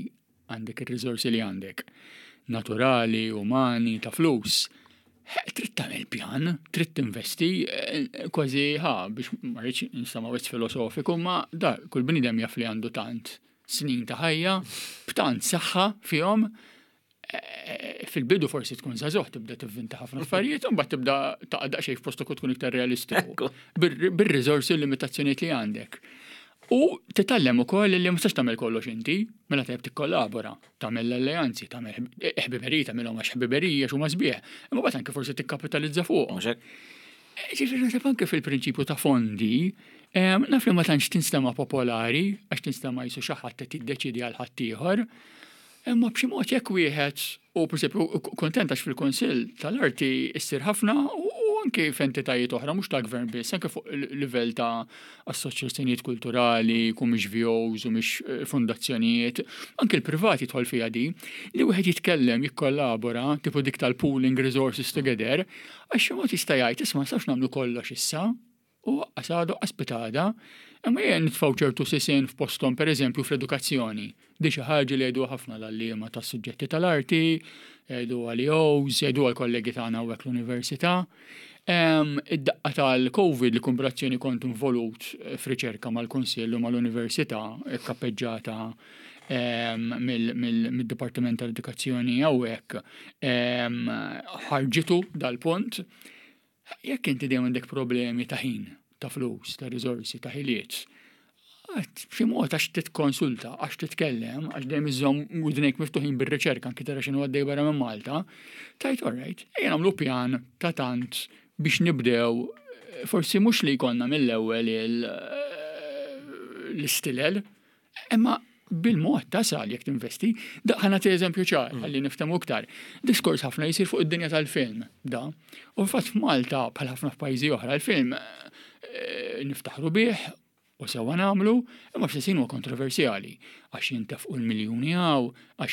għandek ir-riżorsi li għandek, naturali, umani, ta' flus, trid tagħmel pjan, trid tinvesti, eh, kważi ħa biex ma rridx nistama' wisq filosofiku, ma da kull bniedem jaf li għandu tant snin ta' ħajja, b'tant saħħa fihom, eh, fil-bidu forsi tkun żagħżugħ tibda tivvinta ħafna affarijiet, u mbagħad tibda taqa' daqsxejn f'postok u tkun iktar realistiku. Bir-riżorsi u l-limitazzjonijiet li għandek. U titgħallem ukoll li ma tistax tagħmel kollox inti, mela tajjeb tikkollabora, tagħmel l-alleanzi, tagħmel ħbiberiji, tagħmilhom għax ħbiberiji għax huma sbieħ, imma mbagħad anke forsi tikkapitalizza fuqhom. Mhux hekk? Ġifieri naħseb anke fil-prinċipju ta' fondi, naf li ma tantx tinstema' popolari għax tinstema' qisu xi ħadd qed jiddeċiedi għal ħaddieħor, imma b'xi mod jekk wieħed U pereżempju kuntent għax fil-Kunsill tal-Arti ssir ħafna u anke f'entitajiet oħra mhux tal-gvern biss, anke fuq livell ta' assoċjazzjonijiet kulturali, ku mhix VOs u mhix eh, fondazzjonijiet, anke l-privat jidħol fiha di, li wieħed jitkellem, jikkollabora, tipo dik tal-pooling resources together, għax xi mod jista' jgħid isma' nistgħux nagħmlu kollox issa, U aqqas għada u aqqas pitgħada, imma ejja nitfgħu ċertu sisien f'posthom pereżempju fl-edukazzjoni. Di xi ħaġa li jgħiduha ħafna l-għalliema tas-suġġetti tal-arti, jgħiduha l-EOs, jgħiduha l-kollegi tagħna hawnhekk l-università. Id-daqqa tal-Covid li kombinazzjoni kont involut f'riċerka mal-Kunsill u mal-Università kkappeġġata mid-Dipartiment tal-Edukazzjoni hawnhekk ħarġitu dal-punt. Jekk inti dejjem għandek problemi ta' ħin, ta' flus, ta' riżorsi, ta' ħiliet, B'xi mod għax titkonsulta, għax titkellem, għax dejjem iżżomm widnejk miftuħin bir-riċerka anki tara x'inhu għaddej barra minn Malta, tajt alright, ejja nagħmlu pjan ta' tant biex nibdew forsi mhux li jkollna mill-ewwel l-istilel, imma bil-mod tasal jekk tinvesti. Ħa nagħti eżempju ċar, ħalli niftehmu iktar. Diskors ħafna jisir fuq id-dinja tal-film, da. U fatt f'Malta, bħal ħafna f'pajjiżi oħra, il-film niftaħru bih u sewwa nagħmlu, imma fl-istess ħin huwa kontroversjali għax jintefqu l-miljuni hawn, għax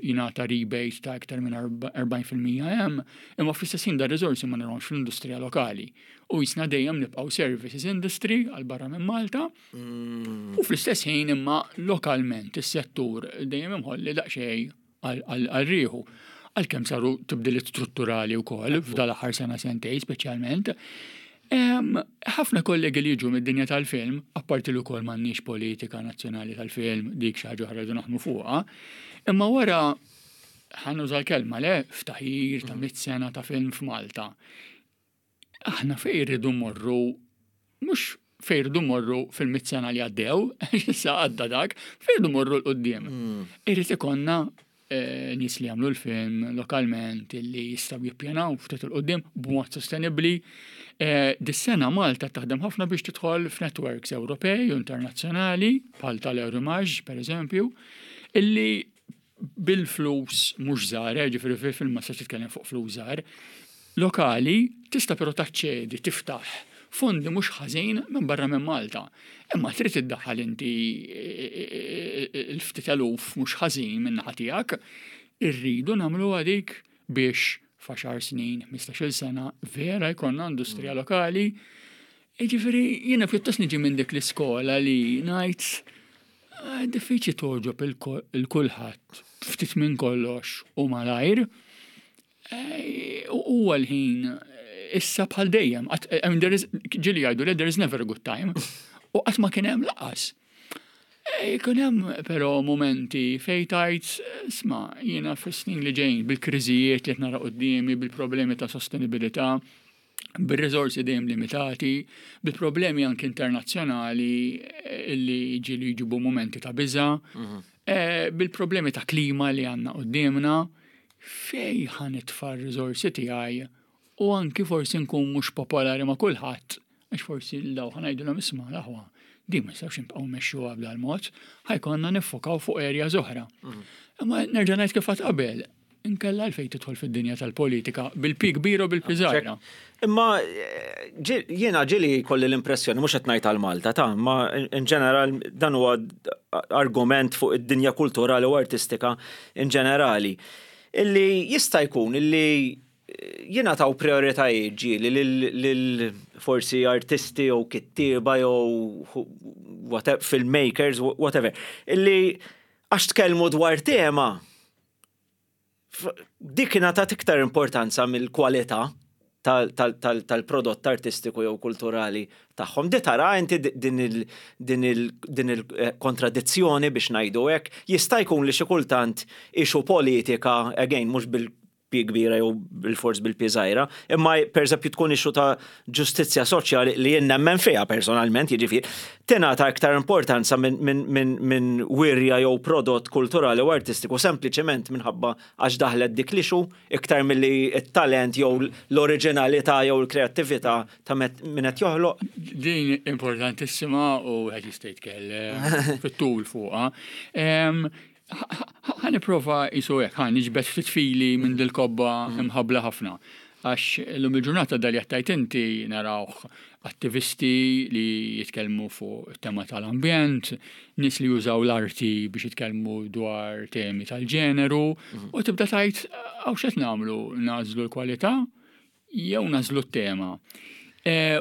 jingħata rebate ta' iktar minn 40% hemm, imma fl-istess ħin dar-riżorsi ma narawhomx fl-industrija lokali. U jisna dejjem nibqgħu services industry għal barra minn Malta. U fl-istess ħin imma lokalment is-settur dejjem imħolli daqsxejn għal rieħu. Għalkemm saru tibdiliet strutturali wkoll f'dal-aħħar sena sentej speċjalment. Ħafna kollegi li jiġu mid-dinja tal-film, apparti li wkoll m'għandniex politika nazzjonali tal-film, dik xi ħaġa oħra rridu naħdmu fuqha, imma wara ħa nuża l-kelma le, ftaħir ta' 100 sena ta' film f'Malta. Aħna fejn irridu mmorru, mhux fejn irridu mmorru fil-100 sena li għaddew, issa għadda dak, fejn irridu mmorru 'l quddiem. Irrid ikollna nies li jagħmlu l-film lokalment li jistgħu jippjanaw ftit 'il quddiem b'mod sostenibbli. Dis-sena Malta taħdem ħafna biex tidħol f'networks Ewropej u internazzjonali bħal tal-Eurimages pereżempju, illi bil-flus mhux żgħar, ġifieri fil-film ma tistax titkellem fuq flus żgħar, lokali tista' però taċċedi tiftaħ fondi mhux ħażin minn barra minn Malta. Imma trid iddaħħal inti l-ftit eluf mhux ħażin minn naħa tiegħek, irridu nagħmlu dik biex f'għaxar snin, 15-il sena vera jkollna industrija lokali. Jiġifieri jiena pjuttost niġi minn dik l-iskola li ngħid diffiċli togħġob il-kulħadd ftit minn kollox u malajr. Huwa l-ħin issa bħal dejjem. I mean, there is, ġieli jgħidu li there is never a good time. U qatt ma kien hemm lanqas. Jkun hemm però momenti fejn tgħid, isma', jiena fis-snin li ġejjin bil-kriżijiet li qed nara quddiemi, bil-problemi ta' sostenibilità, bir-riżorsi dejjem limitati, bil-problemi anke internazzjonali li ġieli jġibu momenti ta' biża', bil-problemi ta' klima li għandna quddiemna, fej ħa nitfa' r-riżorsi tiegħi u anki forsi nkun mhux popolari ma' kulħadd, għax forsi l-daw ħa ngħidulhom isma' l-aħwa, din ma nistgħux nibqgħu mmexxuha b'dal-mod, ħa jkollna niffokaw fuq areas oħra. Imma nerġa' ngħid kif għedt qabel, inkella għalfejn tidħol fid-dinja tal-politika bil-P kbir u bil-P żgħira. Imma jiena ġieli kolli l-impressjoni, mhux qed ngħid għal Malta ta' ma in ġeneral dan huwa argument fuq id-dinja kulturali u artistika in ġenerali, illi jista' jkun illi jingħataw prioritajiet ġieli lil forsi artisti jew kittieba jew filmmakers, whatever, illi għax tkellmu dwar tema dik ingħatat iktar importanza mill-kwalità tal-prodott artistiku jew kulturali tagħhom. Di tara inti din il-kontradizzjoni biex ngħidu hekk, jista' jkun li xi kultant issue politika, again, mhux bil-P kbira jew bil-fors bil-P żgħira, imma pereżempju tkun issue ta' ġustizzja soċjali li jien nemmen fiha personalment, jiġifieri, tingħata iktar importanza minn wirja jew prodott kulturali u artistiku sempliċement minħabba għax daħlet dik l-issue iktar milli t-talent jew l-oriġinalità jew l-kreattività ta' min qed joħloq. Din importantissima u qed jista' jitkellem fit-tul fuqha. Ħa nipprova jisu hekk, ħa niġbed ftit fili minn dil-kobba imħabbla ħafna. Għax illum il-ġurnata dal jattajt inti narawh attivisti li jitkellmu fuq tema tal-ambjent, nies li jużaw l-arti biex jitkellmu dwar temi tal-ġeneru, u tibda tgħid hawn x'qed nagħmlu, nagħżlu l-kwalità jew nagħżlu t-tema.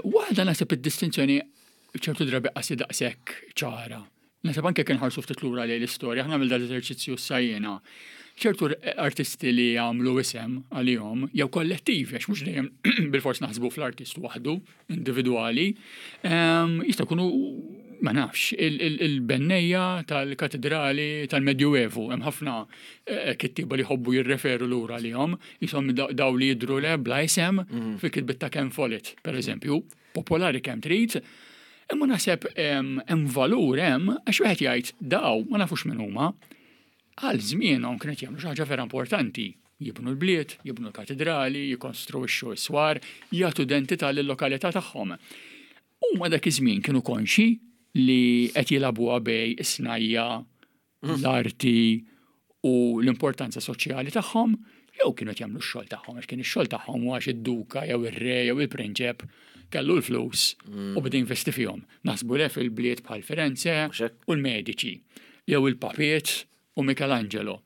Waħda naħseb id-distinzjoni ċertu drabi qasi daqshekk ċara. Naħseb anke kien ħarsu ftit lura lejn l-istorja, aħna għamil dal-eżerċizzju s-sajjena. Ċertu artisti li għamlu isem għalihom, jew kollettivi, għax mhux dejjem bil-fors naħsbu fl-artist waħdu, individwali, jista' jkunu, ma nafx, il-bennejja tal-katedrali tal-Medjuevu, hemm ħafna kittieba li jħobbu jirreferu lura għalihom, jisom daw li jidhru le bla isem fil-kitbiet ta' Ken Follett, per eżempju, popolari kemm trid. Imma naħseb hemm valur hemm għax wieħed jgħid daw ma nafux min huma. Għal żmienhom kienet jagħmlu xi ħaġa vera importanti. Jibnu l-bliet, jibnu l-katidrali, jikkonstruixxu s-swar, jagħtu identità lil-lokalità tagħhom. Huma dak iż-żmien kienu konxi li qed jilagħbuha bej is-snajja, l-arti u l-importanza soċjali tagħhom, jew kienu qed jagħmlu x-xogħol tagħhom għax kien ix-xogħol tagħhom u għax id-duka jew ir-re jew il-prinċep kellu l-flus u beda jinvesti fihom. Naħsbu le fil-bliet bħal Firenze u l-Medici, jew il-Papiet u Michelangelo.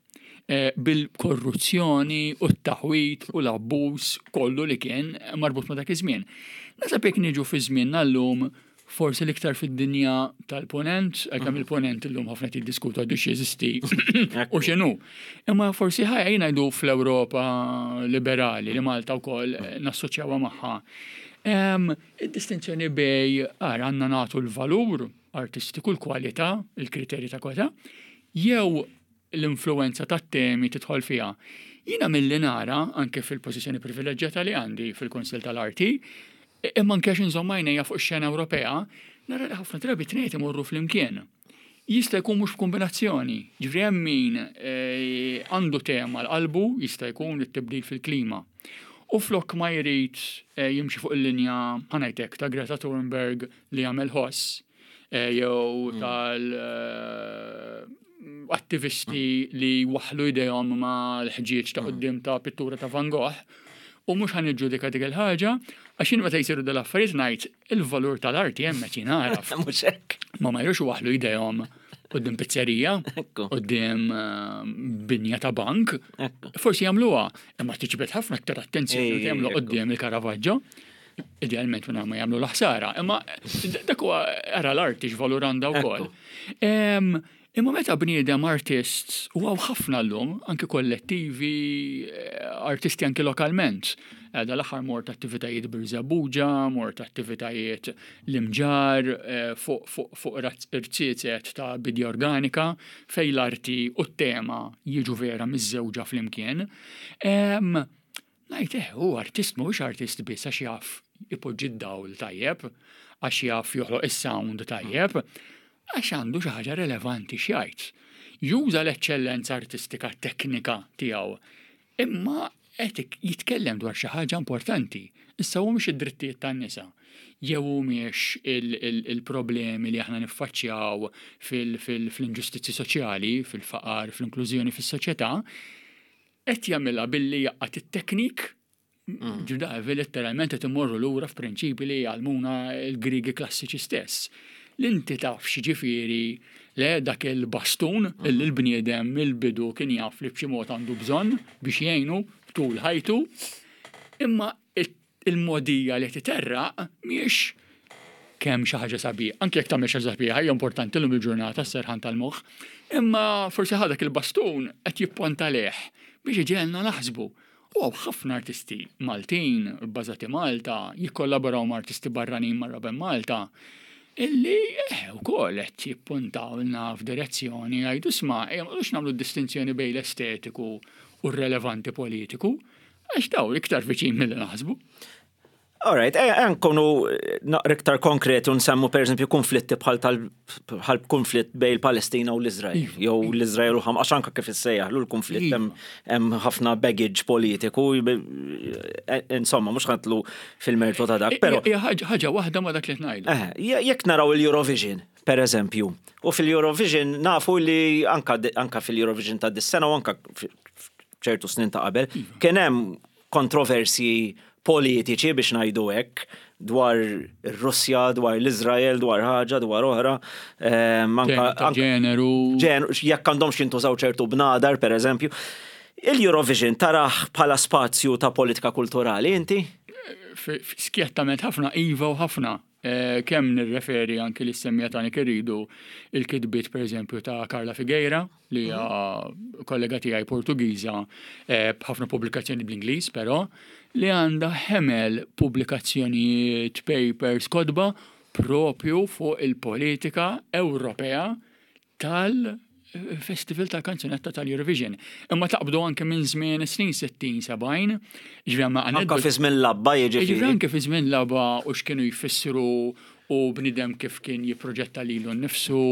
Eh, bil-korruzzjoni u t-taħwit u l-abbuż kollu li kien marbut ma' dak iż-żmien. Nasab jekk niġu fi żmienna llum forsi l-iktar fid-dinja tal-ponent, għalkemm mhm. il-ponent illum ħafna tiddiskutu għadu x'jeżisti u x'inhu. Imma forsi ħajja ngħidu fl-Ewropa liberali li Malta wkoll nassoċjawha magħha. Id-distinzjoni bej ara għandna nagħtu l-valur artistiku, l-kwalità, il-kriterji ta' kwalità, jew l-influwenza tat-temi tidħol fiha. Jiena milli nara, anke fil-pożizzjoni privileġġjata li għandi fil-Kunsill tal-Arti, imma anke għax inżomm għajnejja fuq ix-xena Ewropea, nara li ħafna drabi t-tnejn imorru flimkien. Jista' jkun mhux b'kombinazzjoni. Ġifieri hemm min eh, għandu tema l-qalbu, jista' jkun it-tibdil fil-klima. U flok ma jrid eh, jimxi fuq il-linja ħanajtek ta' Greta Thunberg li jagħmel ħoss, eh, jew mm. tal eh, attivisti li waħlu idejhom ma l-ħġieġ ta' mm. qudiem ta' pittura ta' Van Gogh u mhux ħan iġġudika dik il-ħaġa għax jien meta jsiru dal-affarijiet ngħid il-valur tal-arti hemm qed jingħaraf. Mhux hekk. Ma ma jrux waħlu idejhom qudiem pizzerija, qudiem eh, binja ta' bank. Forsi jagħmluha, imma tiġbed ħafna aktar attenzjoni jagħmlu qudiem il-Caravaggio. Idealment minn ma jagħmlu l-ħsara, imma dak huwa ara l-arti x'valur għandha wkoll. Imma meta bniedem artist u hawn ħafna llum, anki kollettivi, eh, artisti anki lokalment. Eh, dal-aħħar mort attivitajiet Birżebbuġa, mort attivitajiet l-imġar eh, fuq irziezet ta' bidja organika fej l-arti u t-tema jiġu vera miż-żewġa flimkien. Ngħid eh, hu artist mhuwiex artist biss għax jaf ipoġġi d-dawl tajjeb, għax jaf joħloq is-sound tajjeb, għax għandu xi ħaġa relevanti x'jgħid. Juża l-eċċellenza artistika teknika tiegħu, imma qed jitkellem dwar xi ħaġa importanti. Issa hu mhux id-drittijiet tan-nisa, jew humiex il-problemi li aħna niffaċċjaw fl-inġustizzji soċjali, fil-faqar, fl-inklużjoni fis-soċjetà, Qed jagħmilha billi jgħaqqad it-teknik, mm. ġudavi letteralment qed imorru lura f'prinċipi li jgħallmuna l-Griegi klassiċi stess. L-inti taf x'ġifieri le dak il-bastun mm. illi l-bniedem mill-bidu kien jaf li b'xi mod għandu bżonn biex jgħinu tul ħajtu, imma Il-mogħdija li titerraq mhijiex kemm xi ħaġa sabiħa, anke jekk tagħmel xi ħaġa sabiħa hija importanti llum il-ġurnata s-serħan tal-moħħ, imma forsi ħa dak il-bastun qed jipponta lejh biex iġegħelna naħsbu. U hawn ħafna artisti Maltin, bbażati Malta, jikkollaboraw ma' artisti barranin marra ben Malta, illi eh, ukoll qed jippuntawlna f'direzzjoni jgħidu isma' ejja ma nagħmlu distinzjoni bejn l-estetiku u r-relevanti politiku, Għax daw iktar viċin milli naħsbu. Alright, eh, eh, nkunu eh, naqra iktar konkreti u nsemmu per eżempju konflitti bħal tal bħal konflitt bej il-Palestina u l-Izrael, iva. jew l-Izrael u Hamas, għax anka kif issejjaħ l-konflitt iva. hemm ħafna baggage politiku, insomma, mhux ħantlu fil-mertu ta' dak, però. Ħaġa waħda ma dak li ngħidu. Jekk naraw il-Eurovision, per eżempju, u fil-Eurovision nafu li anka fil-Eurovision ta' dis-sena u anka ċertu snin ta' qabel, iva. kien hemm kontroversji politiċi biex ngħidu hekk dwar ir-Russja, dwar l-Iżrael, dwar ħaġa, dwar oħra. Ehm, anka ġeneru. Jekk għandhomx jintużaw ċertu bnadar, per eżempju. Il-Eurovision taraħ bħala spazju ta' politika kulturali, inti? Skjettament ħafna, iva u ħafna. Kemm nirreferi anki li semmija tani irridu il-kitbiet pereżempju ta' Carla Figueira li hija mhm. kollega tiegħi Portugiża eh, b'ħafna pubblikazzjoni bl-Ingliż però li għandha ħemel pubblikazzjonijiet, papers, kotba propju fuq il-politika Ewropea tal-Festival tal-Kanzunetta tal-Eurovision. Imma taqbdu anke minn żmien snin 60, 70, ġifieri ma Anke fi żmien labba jiġifieri. Jiġifieri anke fi żmien labba u x'kienu jfissru u bniedem kif kien jipproġetta lilu nnifsu,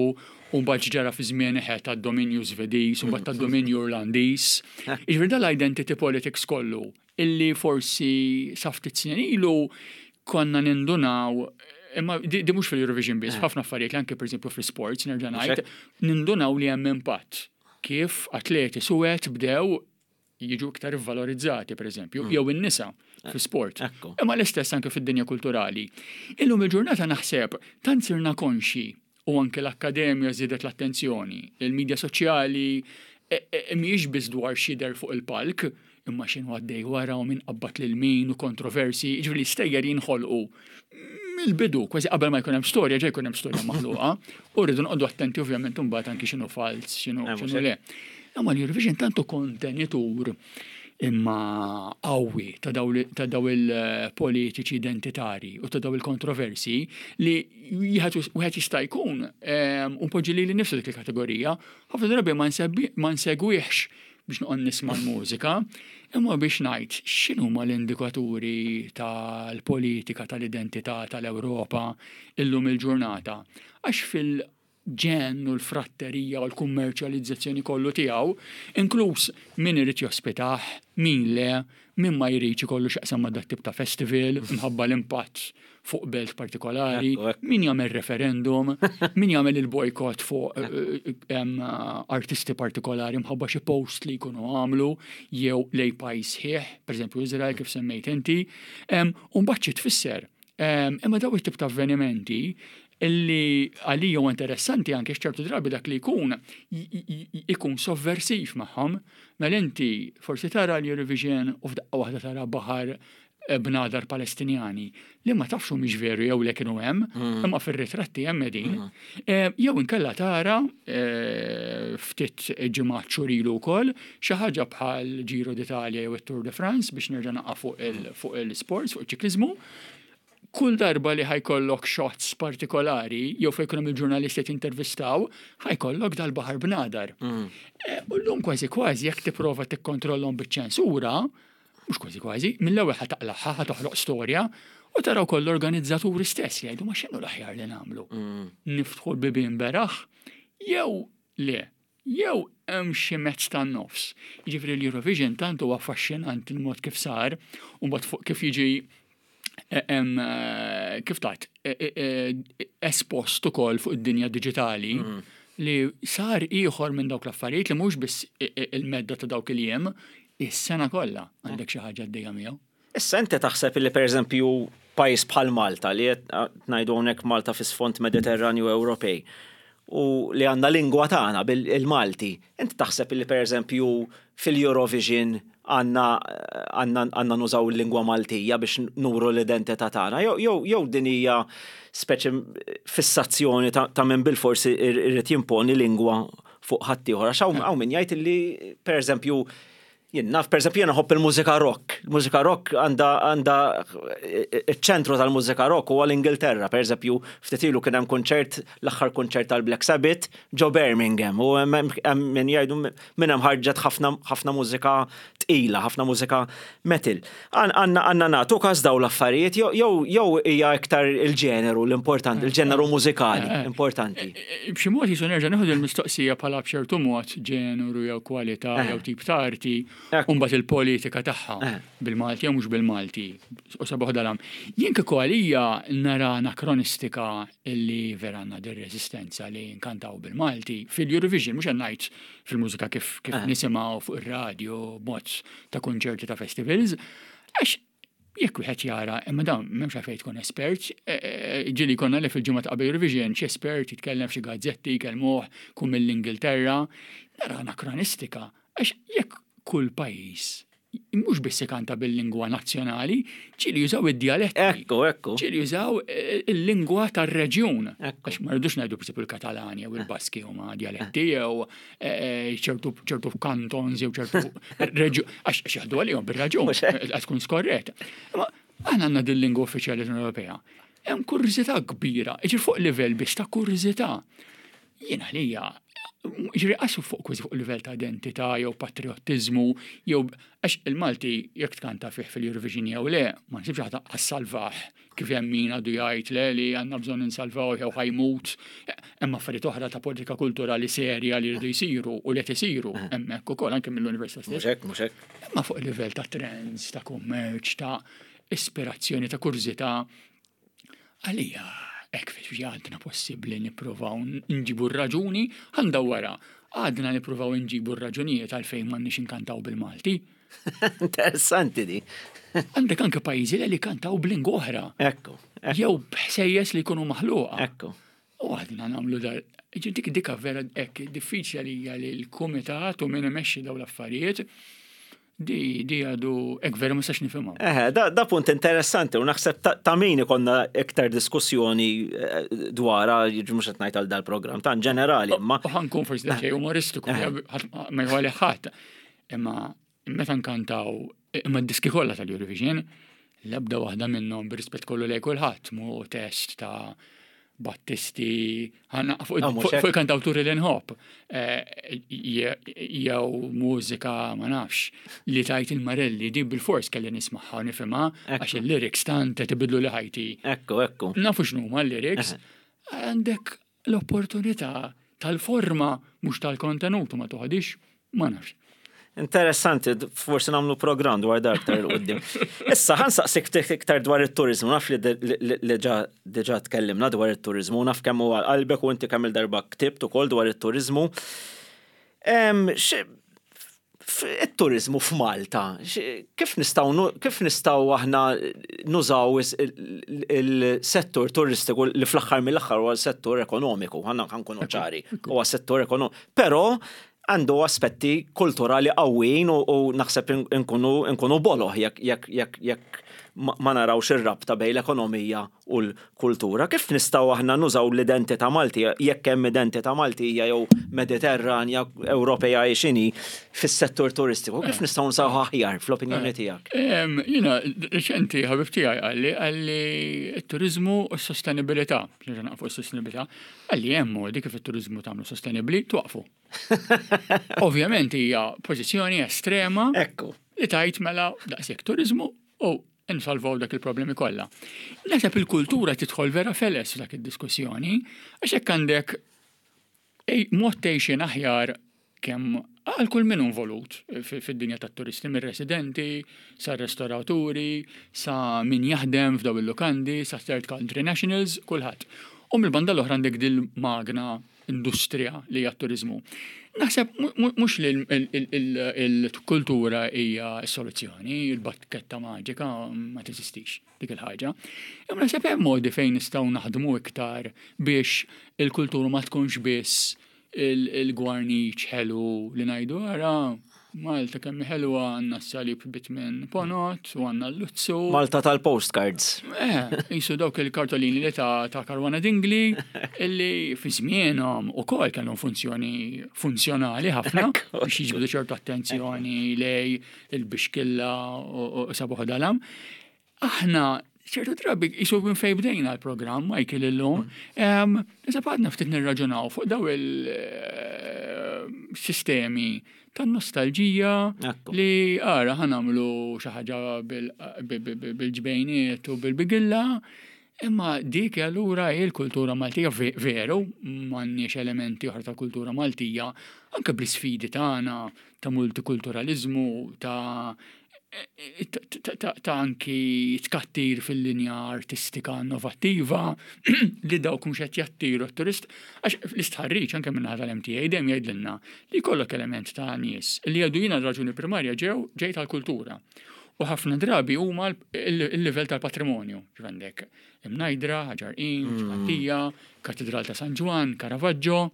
u mbagħad x'ġara fi żmien eħe tad-dominju Żvediż u mbagħad tad-dominju Irlandiż. Jiġifieri dan l-identity politics kollu illi forsi sa ftit snin ilu konna nindunaw imma di, di mhux fil-Eurovision biss, ħafna affarijiet li anke pereżempju fl-sports nerġa' ngħid, nindunaw li hemm impatt kif atleti suwed bdew jiġu iktar ivvalorizzati, per eżempju, mm. jew in-nisa eh, fi-sport. Imma l-istess anke fid-dinja kulturali. Illum il-ġurnata naħseb tant sirna konxi u anke l-akkademja żiedet l-attenzjoni, il-medja soċjali e, e, e, mhijiex biss dwar xider fuq il-palk, imma x'inhu għaddej wara u min qabbat lil min u kontroversi, ġifieri stejjer jinħolqu mill-bidu, kważi qabel ma jkun hemm storja, ġej jkun hemm storja maħluqa, u rridu noqogħdu attenti ovvjament imbagħad anki x'inhu falz, x'inhu eh, le. Imma l-Eurovision tantu kontenitur imma qawwi ta' daw il-politiċi identitari u ta' daw il-kontroversi li wieħed jista' jkun ehm, un poġġi li nifsu dik il-kategorija, ħafna drabi ma nsegwihx biex noqgħod nisma' l-mużika, imma biex ngħid x'inhuma l-indikaturi tal-politika tal-identità tal-Ewropa illum il-ġurnata. Għax fil ġenn u l-fratterija u l-kummerċjalizzazzjoni kollu tiegħu, inkluż min irid jospitah, min le, min ma jridx ikollu x'jaqsam ma' dat-tip ta' festival minħabba l-impatt fuq belt partikolari, min jagħmel referendum, min jagħmel il-bojkott fuq eh, eh, artisti partikolari mħabba xi post li jkunu għamlu jew lej pajjiż ħieħ, pereżempju Izrael kif semmejt inti, u mbagħad xi tfisser. Imma daw it-tip ta' avvenimenti illi għalija huwa interessanti anke x'ċertu drabi dak li jkun ikun sovversiv magħhom. Mela inti forsi tara l-Eurovision u f'daqqa waħda tara baħar eh, bnadar Palestinjani li ma tafx mhix veru jew le kienu hemm, mm. imma fir-ritratti hemm qegħdin. Mm. Eh, jew inkella tara eh, ftit ġimgħat xurilu wkoll xi ħaġa bħal Giro d'Italia jew it-Tour de France biex nerġa' naqa' fuq il-sports, fuq iċ-ċikliżmu kull darba li ħa jkollok shots partikolari, jew fejn jkun hemm il-ġurnalisti qed jintervistaw, ħa jkollok dal-baħar bnadar. Mm. Eh, u llum kważi kważi jekk tipprova tikkontrollhom biċ-ċensura, mhux kważi kważi, mill-ewwel ħa taqlagħha, ħa toħloq storja, u taraw koll l-organizzaturi stess li jgħidu ma x'inhu l-aħjar li nagħmlu. Mm. Niftħu l-bibien beraħ, jew le, jew hemm xi mezz tan-nofs. Jiġifieri l-Eurovision tant huwa affaxxinanti l-mod kif sar, u mbagħad fuq kif jiġi eh, eh, kif tat eh, espost ukoll fuq id-dinja diġitali mm. li sar ieħor minn dawk l-affarijiet li mhux biss il-medda ta' dawk il-jiem, is-sena kollha għandek xi ħaġa għaddejja miegħu. Issa inti taħseb li pereżempju pajjiż bħal Malta li qed ngħidu hawnhekk Malta fi sfond Mediterranju Ewropej u li għandna lingwa tagħna bil-Malti, inti taħseb li pereżempju fil-Eurovision għandna għandna nużaw il-lingwa Maltija biex nuru l-identità tagħna jew jew din hija speċi fissazzjoni ta' min bilfors irid jimponi lingwa fuq ħaddieħor għax hawn min jgħid li pereżempju Jien naf, per eżempju, jiena nħobb il-mużika rock. Il-mużika rock għandha għandha iċ-ċentru tal-mużika rock huwa l-Ingilterra. Per eżempju, ftit ilu kien hemm kunċert, l-aħħar kunċert tal-Black Sabbath ġo Birmingham u hemm min jgħidu minn hemm ħarġet ħafna ħafna mużika tqila, ħafna mużika metal. Għandna għandna nagħtu każ dawn l-affarijiet jew jew hija iktar il-ġeneru l-importanti, il-ġeneru mużikali eh, eh. importanti. B'xi mod jisu nerġa' nieħu il-mistoqsija bħala b'ċertu mod ġeneru jew kwalità eh. jew tip ta' arti u mbagħad il-politika tagħha eh. bil-Malti jew mhux bil-Malti. U sabuħ dalam. Jien kieku għalija nara anakronistika illi vera għandna dir resistenza li nkantaw bil-Malti fil-Eurovision mhux qed ngħid fil-mużika kif kif eh. nisimgħu fuq ir-radju b'mod ta' kunċerti ta' festivals. Għax Jekk wieħed jara, imma dawn m'hemmx għalfejn tkun espert, e, e, e, ġieli konna li fil-ġimgħa ta' qabel Eurovision xi espert jitkellem f'xi gazzetti jkellmuh kun mill-Ingilterra, nara anakronistika għax jekk kull pajjiż mhux biss ikanta bil-lingwa nazzjonali, ġieli jużaw id-djaletti. Ekku, ekku. Ġieli jużaw il-lingwa tar-reġjun. Għax ma rridux ngħidu b'sib il-Katalani jew il-Baski huma djaletti jew ċertu ċertu kantons jew ċertu reġju għax jaħdu għalihom bir-raġun qed tkun skorrett. Imma aħna għandna din lingwa uffiċjali l-Unjoni Ewropea. Hemm kurżità kbira, jiġri fuq livell biss ta' kurżità. Jien għalija Ġifieri qasu fuq kważi fuq livell ta' identità jew patriottiżmu jew għax il-Malti jekk tkanta fih fil-Eurovision jew le, ma nsibx ħadd għas-salvah kif hemm min għadu jgħid le li għandna bżonn insalvaw jew ħajmut. Hemm affarijiet oħra ta' politika kulturali serja li jridu jsiru u li qed isiru hemmhekk ukoll anke mill-università stess. Mhux hekk, mhux hekk. Imma fuq livell ta' trends, ta' kummerċ, ta' ispirazzjoni, ta' kurżità, Għalija, hekk fi għadna possibbli nippruvaw nġibu r-raġuni, ħa wara, għadna nippruvaw nġibu r-raġunijiet għalfejn m'għandniex inkantaw bil-Malti. Interessanti di. Għandek anke pajjiżi li kantaw b'lingwa oħra. Ekku. Jew b'ħsejjes li jkunu maħluqa. Ekku. U għadna nagħmlu dar. Dik dika vera hekk diffiċli għalija li l-kumitat u min imexxi dawn l-affarijiet Di, di għadu, ek veru ma sax nifhimha. Eħe, da, da punt interessanti u naħseb ta', ta min ikonna iktar diskussjoni eh, dwarha, jiġi mhux qed ngħid għal dal-programm ta' ġenerali, imma. U ħankun forsi daqsxejn umoristiku, ma jħalli ħadd. Imma meta nkantaw imma d-diski kollha tal-Eurovision, l-ebda waħda minnhom bir-rispett kollu lej kulħadd mu test ta' Battisti, ah, fuq il-kantawturi li nħobb, eh, jew mużika ma nafx, li tajt il-Marelli di bil-fors kelli nismaħħa u nifhimha għax il-lyrics tant qed ibidlu li ħajti. Ekku, ekku. Nafu x'numa l-lyrics. Għandek l-opportunità tal-forma mhux tal-kontenut ma toħodix Ma nafx. Interessanti, forsi nagħmlu programm dwar dar aktar il qudiem. Issa ħan saqsik ftit iktar dwar it-turizmu, naf li diġà tkellimna dwar it-turizmu, naf kemm huwa qalbek u inti kemm il-darba ktibt ukoll dwar it-turizmu. It-turizmu f'Malta, kif nistgħu kif nistgħu aħna nużaw il-settur turistiku li fl-aħħar mill-aħħar huwa settur ekonomiku, ħanna nkunu ċari, huwa settur ekonomiku. Però għandu aspetti kulturali qawwijin u naħseb inkunu inkunu boloh jekk jekk jekk jekk ma narawx ir-rabta bejn l-ekonomija u l-kultura. Kif nistgħu aħna nużaw l-identità Maltija, jekk hemm identità Maltija jew Mediterranja, Ewropea hi x'inhi, fis-settur turistiku? Kif nistgħu nużawha aħjar fl-opinjoni tiegħek? Jiena reċenti ħabib tiegħi qalli qalli t-turiżmu u s-sostenibilità, nerġa' naqfu s-sostenibilità, Qalli hemm modi kif it-turiżmu tagħmlu sostenibbli, twaqfu. Ovvjament hija pożizzjoni estrema. Ekku. Li tajt mela daqshekk turiżmu u nsolvaw dak il-problemi kollha. Naħseb il-kultura tidħol vera feles f'dak id-diskussjoni, għax hekk għandek mod tgħixin aħjar kemm għal kull min involut fid-dinja tat-turisti, mir-residenti, sa restoraturi, sa min jaħdem f'daw il-lukandi, sa third country nationals, kulħadd. U mill-banda l-oħra għandek dil-magna industrija li hija t-turiżmu. Naħseb mhux li l-kultura hija s-soluzzjoni, il-bakketta maġika ma teżistix dik il-ħaġa. Imma naħseb hemm modi fejn nistgħu naħdmu iktar biex il-kultura ma tkunx biss il-gwarniċ ħelu li ngħidu ara Malta kemm ħelwa għandna s-salib bitmin ponot u għandna l-luzzu. Malta tal-postcards. Eh, jisu dawk il-kartolini li ta' ta' Karwana Dingli illi fi żmienhom ukoll kellhom funzjoni funzjonali ħafna biex jiġbdu ċertu attenzjoni lej il-bixkilla u sabuħ dalam. Aħna ċertu drabi jisu minn fejn bdejna l-programm Michael illum, Issa għadna ftit nirraġunaw fuq daw il-sistemi eh, tan-nostalġija li ara ħanamlu xi ħaġa bil-ġbejniet u bil-bigilla, imma dik allura hi l-kultura Maltija veru m'għandniex elementi oħra ta' kultura Maltija anke bl-isfidi tagħna ta' multikulturaliżmu ta' ta' anki tkattir fil-linja artistika innovattiva li dawk mhux qed jattiru t-turist għax l-istħarriġ anke minn tal-MTA dejjem jgħidilna li jkollok element ta' nies li jgħidu jiena raġuni primarja ġew ġej tal-kultura. U ħafna drabi huma il-livell tal-patrimonju, għandek Imnajdra, Ħaġar Qim, Ġgantija, Katedral ta' San Ġwann, Caravaggio,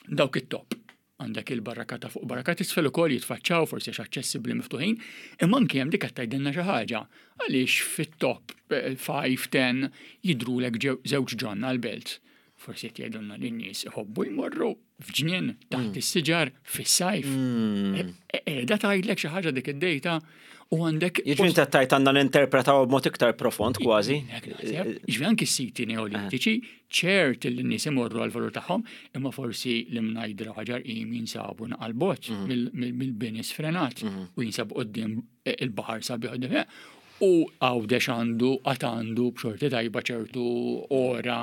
dawk it-top. Għandek il-barraka ta' fuq barraka t'isfel ukoll jitfaċċaw forsi għax aċċessibbli miftuħin, imma anki hemm dik qed tgħidilna xi ħaġa. Għaliex fit-top 5, 10 jidhrulek żewġ ġonna l-belt. Forsi qed jgħidulna li n-nies iħobbu jmorru f'ġnien taħt mm. is-siġar fis-sajf. Mm. Qiegħda tgħidlek xi ħaġa dik id-dejta. U għandek. Jiġifieri inti tajt għandna ninterpretaw b'mod iktar profond kważi. Jiġifieri anki s-siti neolitiċi ċert li n-nies imorru għal-valur tagħhom, imma forsi l-imnajdra ħaġar qim jinsabu naqal bot mill-bini sfrenat u jinsabu qudiem il-baħar sabiħ u Għawdex għandu għad għandu b'xorti tajba ċertu ora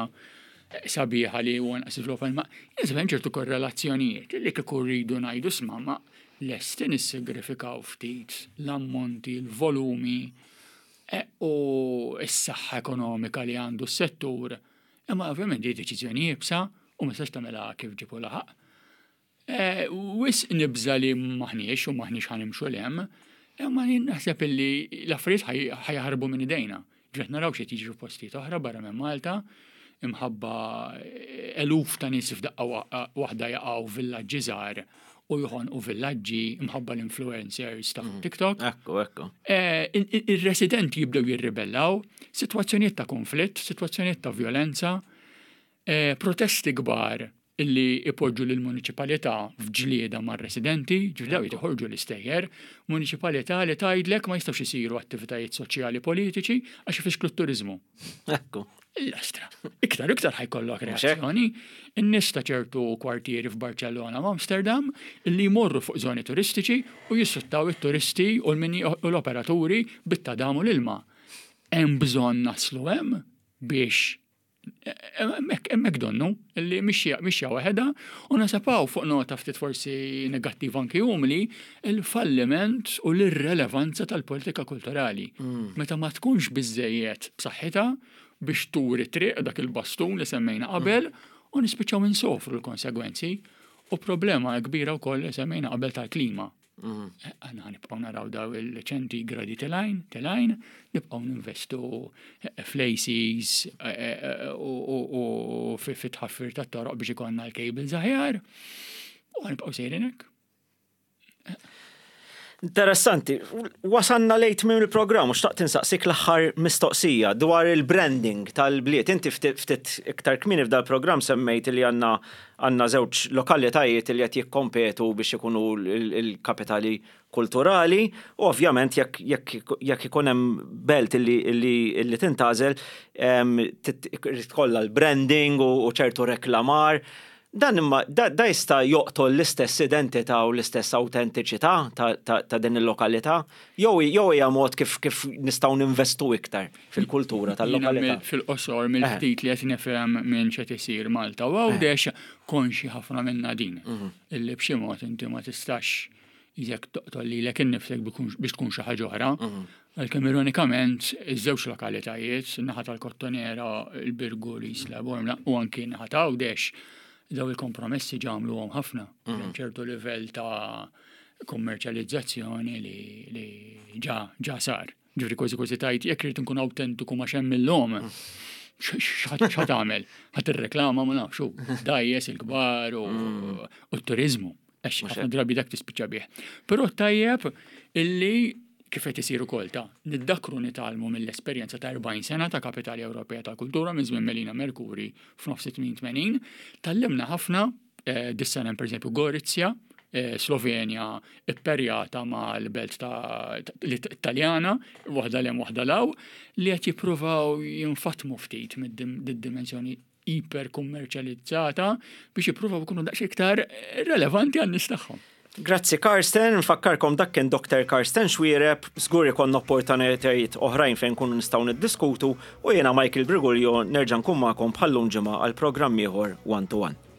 sabiħa li huwa naqas iżviluppa imma hemm ċertu korrelazzjonijiet li kieku rridu ngħidu sma' ma lesti nissagrifikaw ftit l-ammonti, l-volumi eh, u s-saħħa ekonomika li għandu s-settur. Imma ovvjament di deċiżjoni iebsa u ma tistax tagħmilha kif ġibu laħaq. Eh, wisq nibża li maħniex u maħniex ħanimxu l-hemm, imma jien naħseb illi l-affarijiet ħajħarbu minn idejna. Ġret naraw xi jiġri f'postijiet oħra barra minn Malta, imħabba eh, eluf ta' nies f'daqqa waħda jaqgħu villaġġi żgħar u joħonqu villaġġi imħabba l-influencers ta' mm. TikTok. Ekku, ekku. Eh, ir-residenti jibdew jirribellaw, sitwazzjonijiet ta' konflitt, sitwazzjonijiet ta' violenza, protesti kbar illi ipoġġu lill-muniċipalità f'ġlieda mar-residenti, ġifieri dawn joħorġu l-istejjer, muniċipalità li tgħidlek ma jistgħux isiru attivitajiet soċjali politiċi għax ifixklu t-turiżmu. Ekku. L-astra. Iktar iktar ħajkollok reazzjoni. In-nies ta' ċertu kwartieri f'Barċellona u Amsterdam illi jmorru fuq żoni turistiċi u jissuttaw it-turisti u l-operaturi bit-tadam u l-ilma. Hemm bżonn naslu hemm biex Hemmhekk donnu li mixja waħedha u nasapaw fuq nota ftit forsi negattiva anki umli il-falliment u l-irrelevanza tal-politika kulturali. Mm. Meta ma tkunx biżejjed b'saħħitha biex turi triq dak il-bastun li semmejna qabel mm. u nispiċċaw insofru l-konsegwenzi u problema kbira wkoll li semmejna qabel tal-klima. Mm. Eh, aħna nibqgħu naraw daw il-ċentigradi telajn, telajn, nibqgħu ninvestu eh, fl-ACs eh, u fit-tħaffir tat-toroq biex ikollna l-cables aħjar. U nibqgħu sejrin hekk. Interessanti, wasanna lejt minn il-programm u xtaqt insaqsik l-aħħar mistoqsija dwar il-branding tal-bliet. Inti ftit iktar kmieni f'dal-programm semmejt li għandna Għandna żewġ lokalitajiet li qed jikkompetu biex ikunu l-kapitali kulturali u ovvjament jekk ikun hemm belt li tintgħażel irid ikollha l-branding u ċertu reklamar. Dan imma da jista' joqtol l-istess identità u l-istess awtentiċità ta' din il-lokalità? Jew hija mod kif nistgħu ninvestu iktar fil-kultura tal-lokalità? Fil-qosor mill-ftit li qed nifhem minn x'qed isir Malta u Għawdex konxji ħafna minnha din. Mhm. Illi b'xi mod inti ma tistax jekk toqtol lilek innifsek biex tkun xi ħaġa oħra. Mhm. Għalkemm ironikament iż-żewġ lokalitajiet, naħa tal-Kottonera, il-Birgu, l-Isla, Bormla u anki naħa ta' Għawdex, daw il-kompromessi ġamluhom ħafna. Mhm. ċertu livell ta' kummerċjalizzazzjoni li ġa ġa sar. Ġifieri kważi kważi tajt jekk irid nkun awtentiku ma xemm illum. X'ħa tagħmel? Ħa tirreklama ma nafx dajjes il-kbar u mm. t-turizmu. Għax ħafna drabi dak tispiċċa bih. Però tajjeb illi kif qed isir ukoll ta' niddakru nitgħallmu mill-esperjenza ta' 40 sena ta' Kapitali Ewropea tal-Kultura minn żmien Melina Merkuri f'nofs 88, tallimna ħafna Eh, dis-sena per eżempju Gorizia, eh, Slovenja ipperjata mal-belt ta' Italjana, waħda lem waħda law, li qed jippruvaw jinfatmu ftit mid-dimensjoni iperkummerċjalizzata biex jippruvaw ikunu daqs iktar relevanti għan-nies tagħhom. Grazzi Karsten, nfakkarkom dak kien Dr. Karsten Xuereb, żgur ikollna opportunitajiet oħrajn fejn nkunu nistgħu niddiskutu u jiena Michael Briguglio nerġa' nkun magħkom bħal-lum ġimgħa għal programm ieħor One to One.